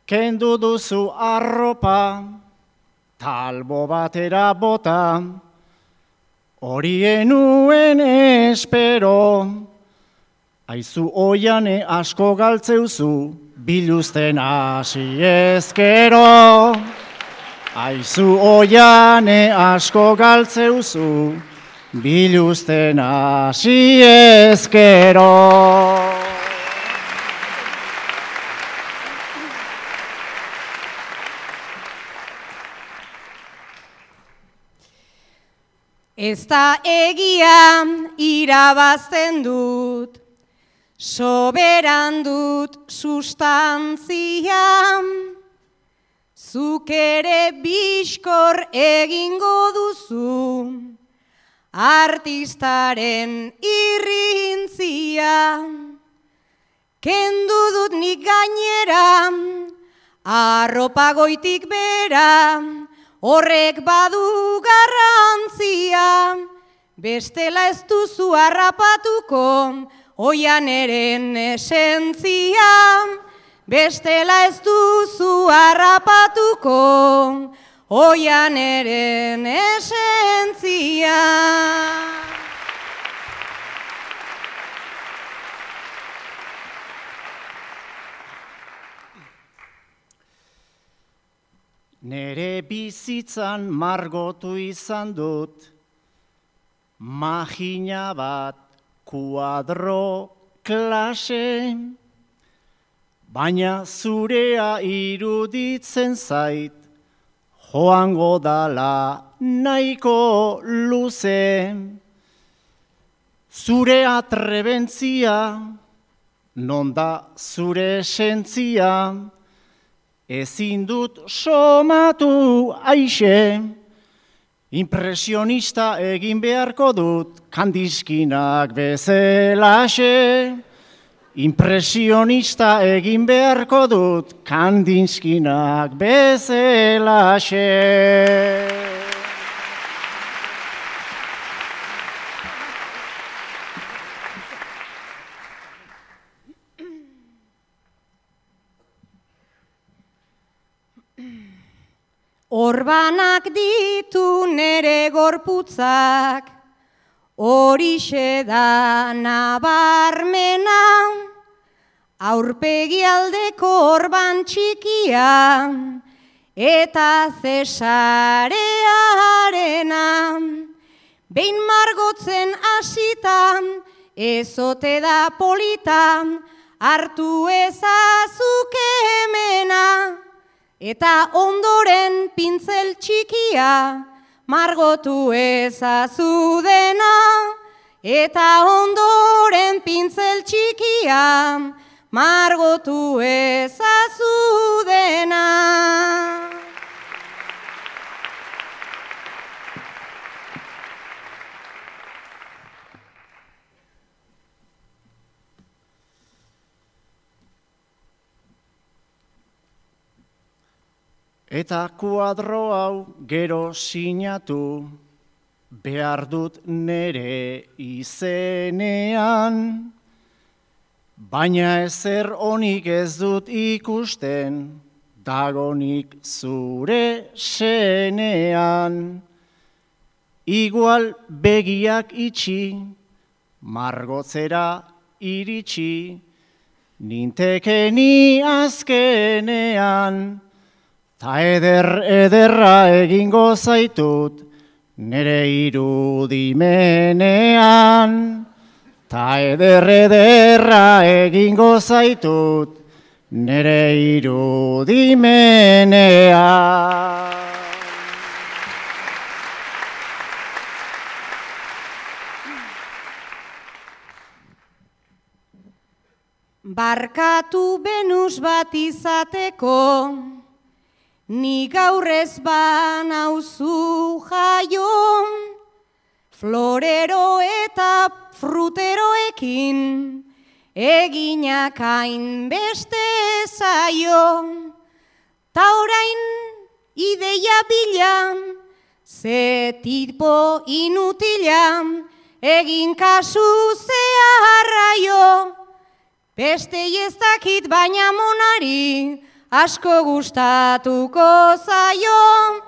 Kendu duzu arropa, talbo batera bota, horien nuen espero. Aizu oiane asko galtzeuzu, biluzten hasi ezkero. Aizu oiane asko galtzeuzu, biluzten hasi ezkero. Ez da egia irabazten dut, soberan dut sustantzia, zuk ere bizkor egingo duzu, artistaren irrintzia. Kendu dut nik gainera, arropa goitik bera, horrek badu garrantzia, bestela ez duzu harrapatuko, oianeren esentzia. Bestela ez duzu harrapatuko, oianeren esentzia. Nere bizitzan margotu izan dut, magina bat kuadro klase, baina zurea iruditzen zait, joango dala nahiko luze. Zure atrebentzia, non da zure esentzia, ezin dut somatu aixe, impresionista egin beharko dut Kandiskinak bezelaxe. Impresionista egin beharko dut Kandiskinak bezelaxe. Orbanak ditu nere gorputzak, horixe da nabarmena, aurpegi aldeko orban txikia, eta zesarearena. Behin margotzen hasitan, ezote da politan, hartu ezazuk hemena. Eta ondoren pintzel txikia, margotu ezazu dena. Eta ondoren pintzel txikia, margotu ezazu dena. Eta kuadro hau gero sinatu, behar dut nere izenean, baina ezer onik ez dut ikusten, dagonik zure senean. Igual begiak itxi, margotzera iritsi, nintekeni azkenean, ta ederra egingo zaitut, nere irudimenean. Ta ederra egingo zaitut, nere irudimenean. Barkatu Venus bat izateko, Ni gaur ez banauzu jaio, florero eta fruteroekin, eginak hain beste zaio. Ta orain ideia bila, ze tipo inutila, egin kasu zeharraio. Beste ez dakit baina monari, asko gustatuko zaio.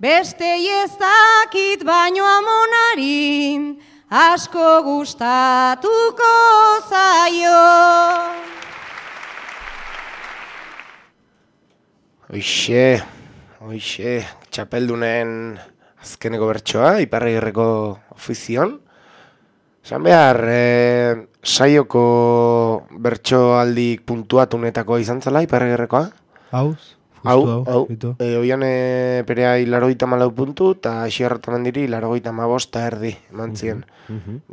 Beste ez dakit baino amonari, asko gustatuko zaio. Hoixe, txapeldunen azkeneko bertsoa, Iparragirreko ofizion. Esan behar, saioko bertsoaldik puntuatunetako izan zela Iparragirrekoa? Hau. Oiane Perea 74 puntu, eta Xierratamendiri 75 eman zien.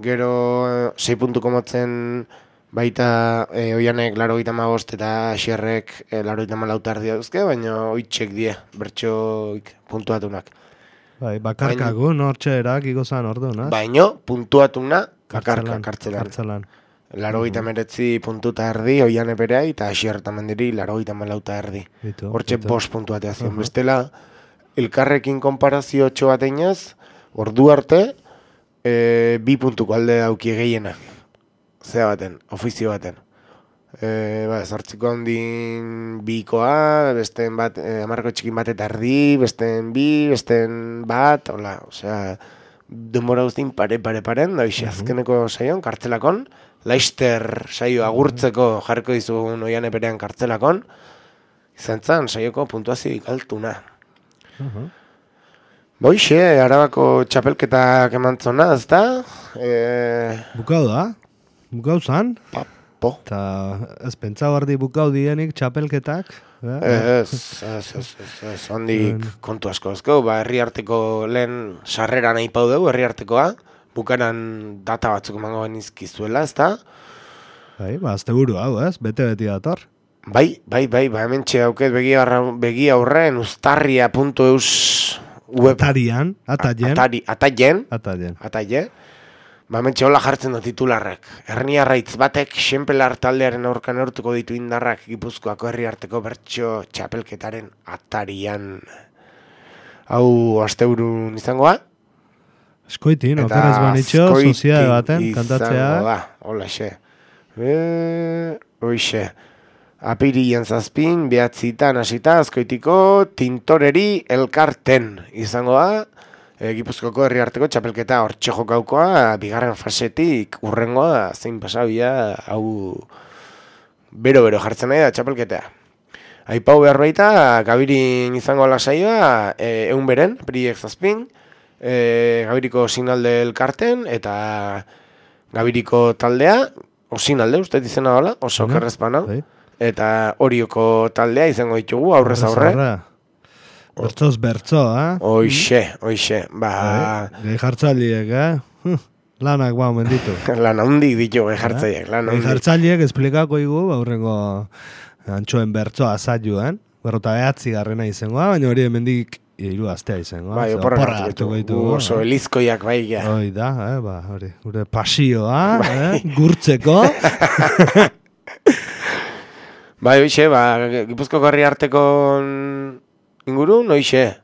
Gero 6 puntuko motzen baita Oianek 75 eta Xierrek 74 dauzke, baina oitxek die bertsoik puntuatunak. Bai, bakarkago, nortxeerak igozan ordu, naz? Baina puntuatuna kartzelan. 89 puntu eta erdi, Oiane Perea eta Xierratamendiri 74 erdi. Hortxe 5 puntuatea zion. Bestela, elkarrekin konparazio 8 bat einaz, ordu arte, 2 puntuko alde dauki gehiena. Zea baten, ofizio baten. Zortziko handin bikoa, besten bat, amarko txikin bat eta erdi, besten bi, besten bat, hola, osea, denbora guztin paren, da azkeneko saion, kartzelakon, Laister saio agurtzeko jarriko dizugun Oiane Perean kartzelakon, izan zan saioko puntuazioik altuna. Boixe, Arabako txapelketak emantzona, ez da? Bukau da? Bukau zan? Po. Eta ez pentsa bardi bukau dienik txapelketak? Ez, handik kontu asko ezko, herri arteko lehen sarrera nahi pau dugu, herri artekoa, bukaran data batzuk emango benizkizuela, ez da? Bai, azte buru hau, ez? Bete-beti dator. Bai, hemen txedauket begi aurren ustarria.eus web. Ataien. Mentxe hola jartzen du titularrak. Herniarraitz batek xenpelar taldearen aurka neurtuko ditu indarrak Gipuzkoako herri arteko bertso txapelketaren atarian. Hau asteburun izangoa? Eskoitin, okeraz banitxo, soziade baten, kantatzea. Holaxe. Hoixe. Apirian zazpin, behatzitan hasita, azkoitiko tintoreri elkarten izangoa. Gipuzkoako herri arteko txapelketa hortxe jokaukoa, bigarren fasetik urrengoa zein pasabia, hau bero jartzen nahi da txapelketea. Aipau behar baita, Gabirin izango lasaioa, egun beren, apiriek zazpin, Gabiriko sinalde elkarten, eta Gabiriko taldea, osinalde, uste izena dola, oso kerrezpana, eta Orioko taldea izango ditugu, aurrez aurre. Bertzoz bertzo, Hoixe. Gehi jartzaliek, lanak ba omen ditu. Lan handik ditu gehi jartzaliek. Gehi jartzaliek esplikako igu, aurrengo antxoen bertzoa azailuan, berrota behatzi garrena izangoa, baina hori hemendik 3 astea izangoa. Bai, oporra hartu ditu. Oso elizkoiak bai, ja. Hoi da, hori, gure pasioa, gurtzeko. Bai, hoixe, Gipuzkoako herri arteko inguru, noixe.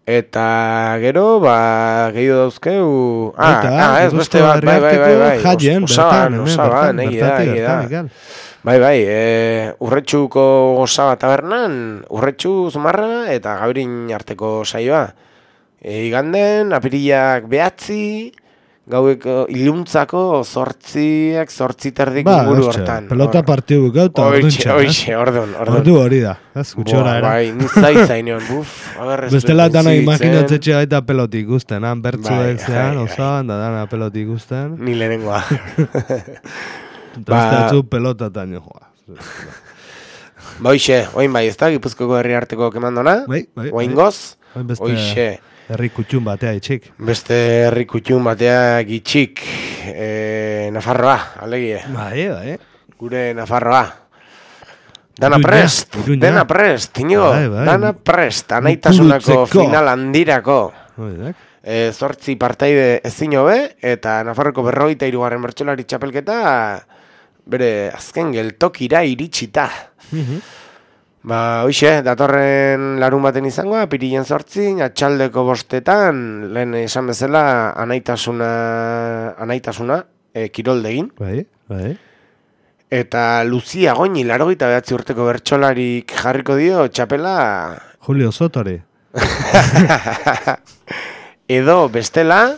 Eta gero, gehiago dauzkeu... Ez, beste bat, bai. Osaban, egida. Bai, Urretxuko Osaba tabernan, Urretxu Zumarra eta Gabirin arteko saioa. Iganden, apiriak 9, gaueko iluntzako 8:40 inguru hortan. Pelota partiu gauta orduntxa. Hoixe, ordun. Ordu hori da, gutxora era. Bai, nizai zainean, bestela dana imaginatzetxe gaita pelotik guzten, bertzuek zean, osaban, da dana pelotik guzten. Ni lehenengoa. Entonces pelotatan joa. Hoixe, oin bai, ez da, Gipuzkoako herri arteko kemandona? Bai. Oingoz? Hoixe. Herri kutxun batea itxik. Beste herri kutxun batea itxik. Nafarroa, alegie. Bai. Gure Nafarroa. Dana prest, dena prest, Inigo, dana prest, anaitasunako final handirako. 8 partaide ezin hobe, eta Nafarroko 43. bertsolari txapelketa bere azken geltokira iritsita. Hoxe, datorren larun baten izango, apirilen 8, atxaldeko 5, lehen esan bezala anaitasuna kiroldegin. Bai. Eta Lucia Goñi, 89 urteko bertsolarik jarriko dio txapela... Julio Sotori. Edo bestela,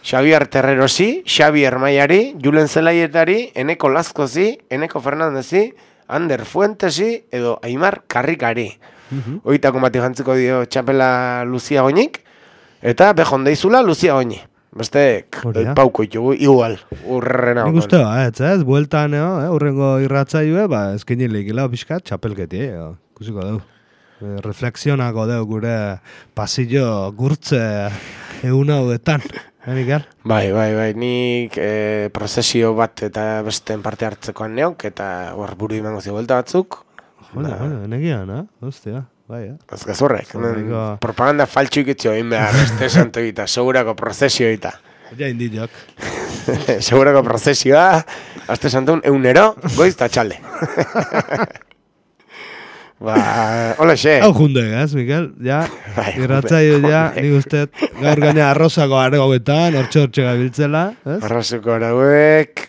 Xavier Terrerosi, Xavier Maiari, Julen Zelaietari, Eneko Lazkozi, Eneko Fernandezi, Ander Fuentesi, edo Aimar Karrikari. Oitako bati jantziko dio txapela Lucia Goñik, eta bejondeizula Lucia Goñi. Bestek, pauko itugu, igual, urrena. Nik uste ez, bueltan, urrengo irratzaioe, ezkinilik gila pixkat, txapelketi, kusiko dugu. Reflexionako dugu gure pasillo gurtze egun hauetan. Mikel? Bai, nik prozesio bat eta besten parte hartzekoan neok, eta buru imango zio buelta batzuk. Negian, hostia. Ez gazurrek, propaganda faltxuik itzio egin behar, este santo egita, segurako prozesio egita. Ja indi jok. Segurako prozesioa, este santo eunero, goiz eta txalde. Hola xe. Hau jundegaz, Mikel, ja, irratzaio ja, nik uste, gaur gaina arrozako argoetan, hortxe gabiltzela. Arrozako argoek...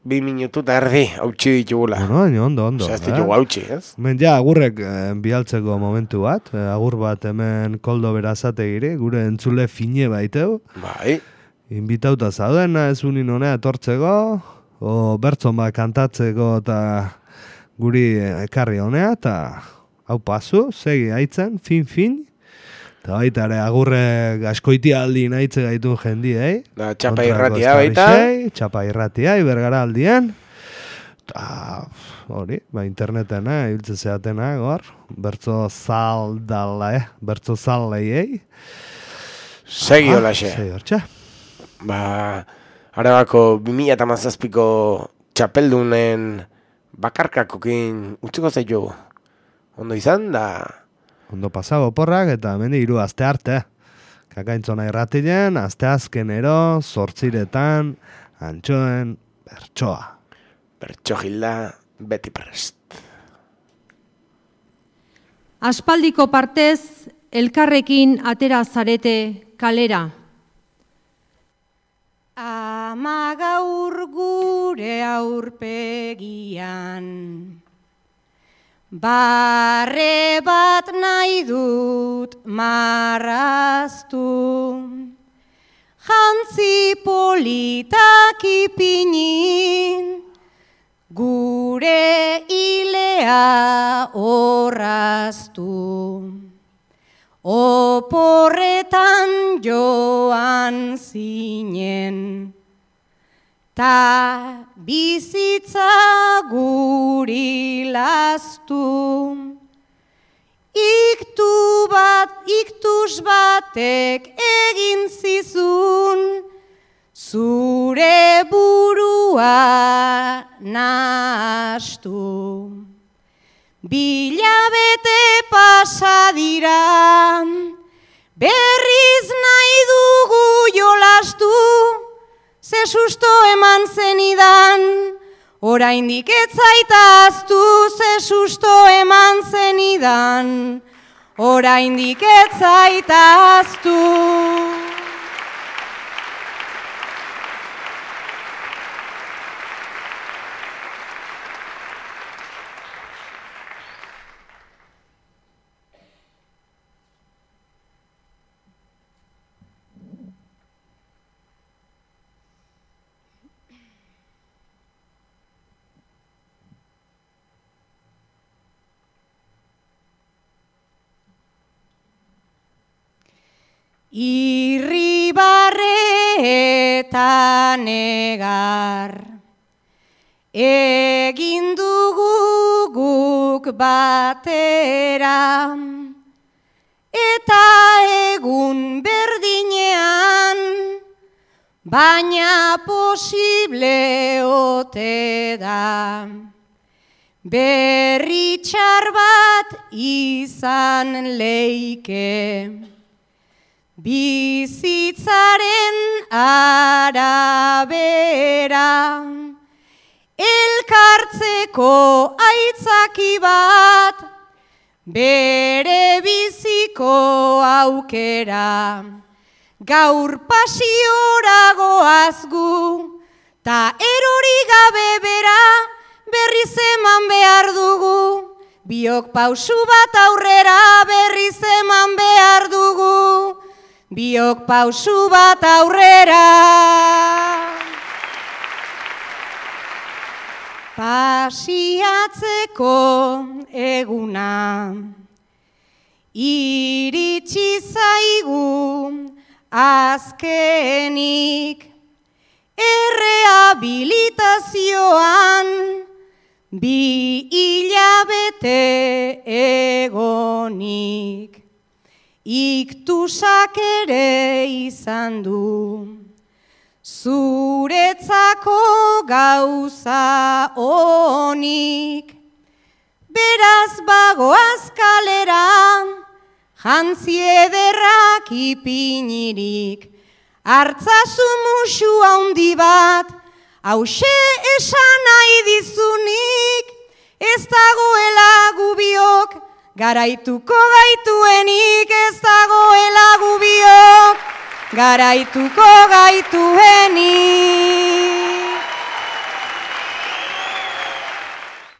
2 minutu eta erdi hautsi ditugula. Ondo. Osea, ez ditugu hautsi, ez? Ja, agurrek bialtzeko momentu bat. Agur bat hemen Koldo Berazategiri, gure entzule fine baiteu. Bai. Inbitauta zaudena, ez unin honea etortzeko, o bertzon bat kantatzeko eta guri ekarri honea, eta hau pasu, segi haitzen, fin. Eta baita ere, agurrek askoitia aldi nahitze gaitun jendi, Da, txapa irratia baita. Txapa irratia, Ibergara aldien. Hori, interneten, ibiltze zeatena, gor. Bertzo zaldeiei. Segi hola xe. Segi hortxe. Arabako 2017ko txapeldunen bakarkakokin utziko zaitu. Ondo izan, da... Ondo pasago porrak eta hemendi 3 aste arte. Kakaintzona irratien, aste azkenero, 8 antxoen bertsoa. Bertso gilda, beti prest. Aspaldiko partez, elkarrekin atera zarete kalera. Ama gaur gure aurpegian, barre bat nahi dut marraztu, jantzi politak ipinin, gure ilea orraztu. Oporretan joan zinen, ta bizitza guri lastu. Iktuz batek egin zizun, zure burua nahastu. Bilabete pasa dira, berriz nahi dugu jolastu, ze susto eman zenidan, oraindik ez zaitaztu, ze susto eman zenidan, oraindik ez zaitaztu. Irribarre eta negar, egin dugu guk batera, eta egun berdinean, baina posible ote da. berri txar bat izan leike. Bizitzaren arabera, elkartzeko aitzaki bat, bere biziko aukera. Gaur pasiora goaz gu, ta erori gabe bera, berriz eman behar dugu. Biok pausu bat aurrera, berriz eman behar dugu. Biok pausu bat aurrera. Pasiatzeko eguna, iritsi zaigu azkenik, errehabilitazioan, 2 hilabete egonik. Iktusak ere izan du, zuretzako gauza onik. Beraz bagoaz kalera, jantzi ederrak ipinirik. Artzazu musu handi bat, hause esan nahi dizunik. Ez dagoela gubiok, garaituko gaituenik. Ez dagoela gubiok, garaituko gaituenik.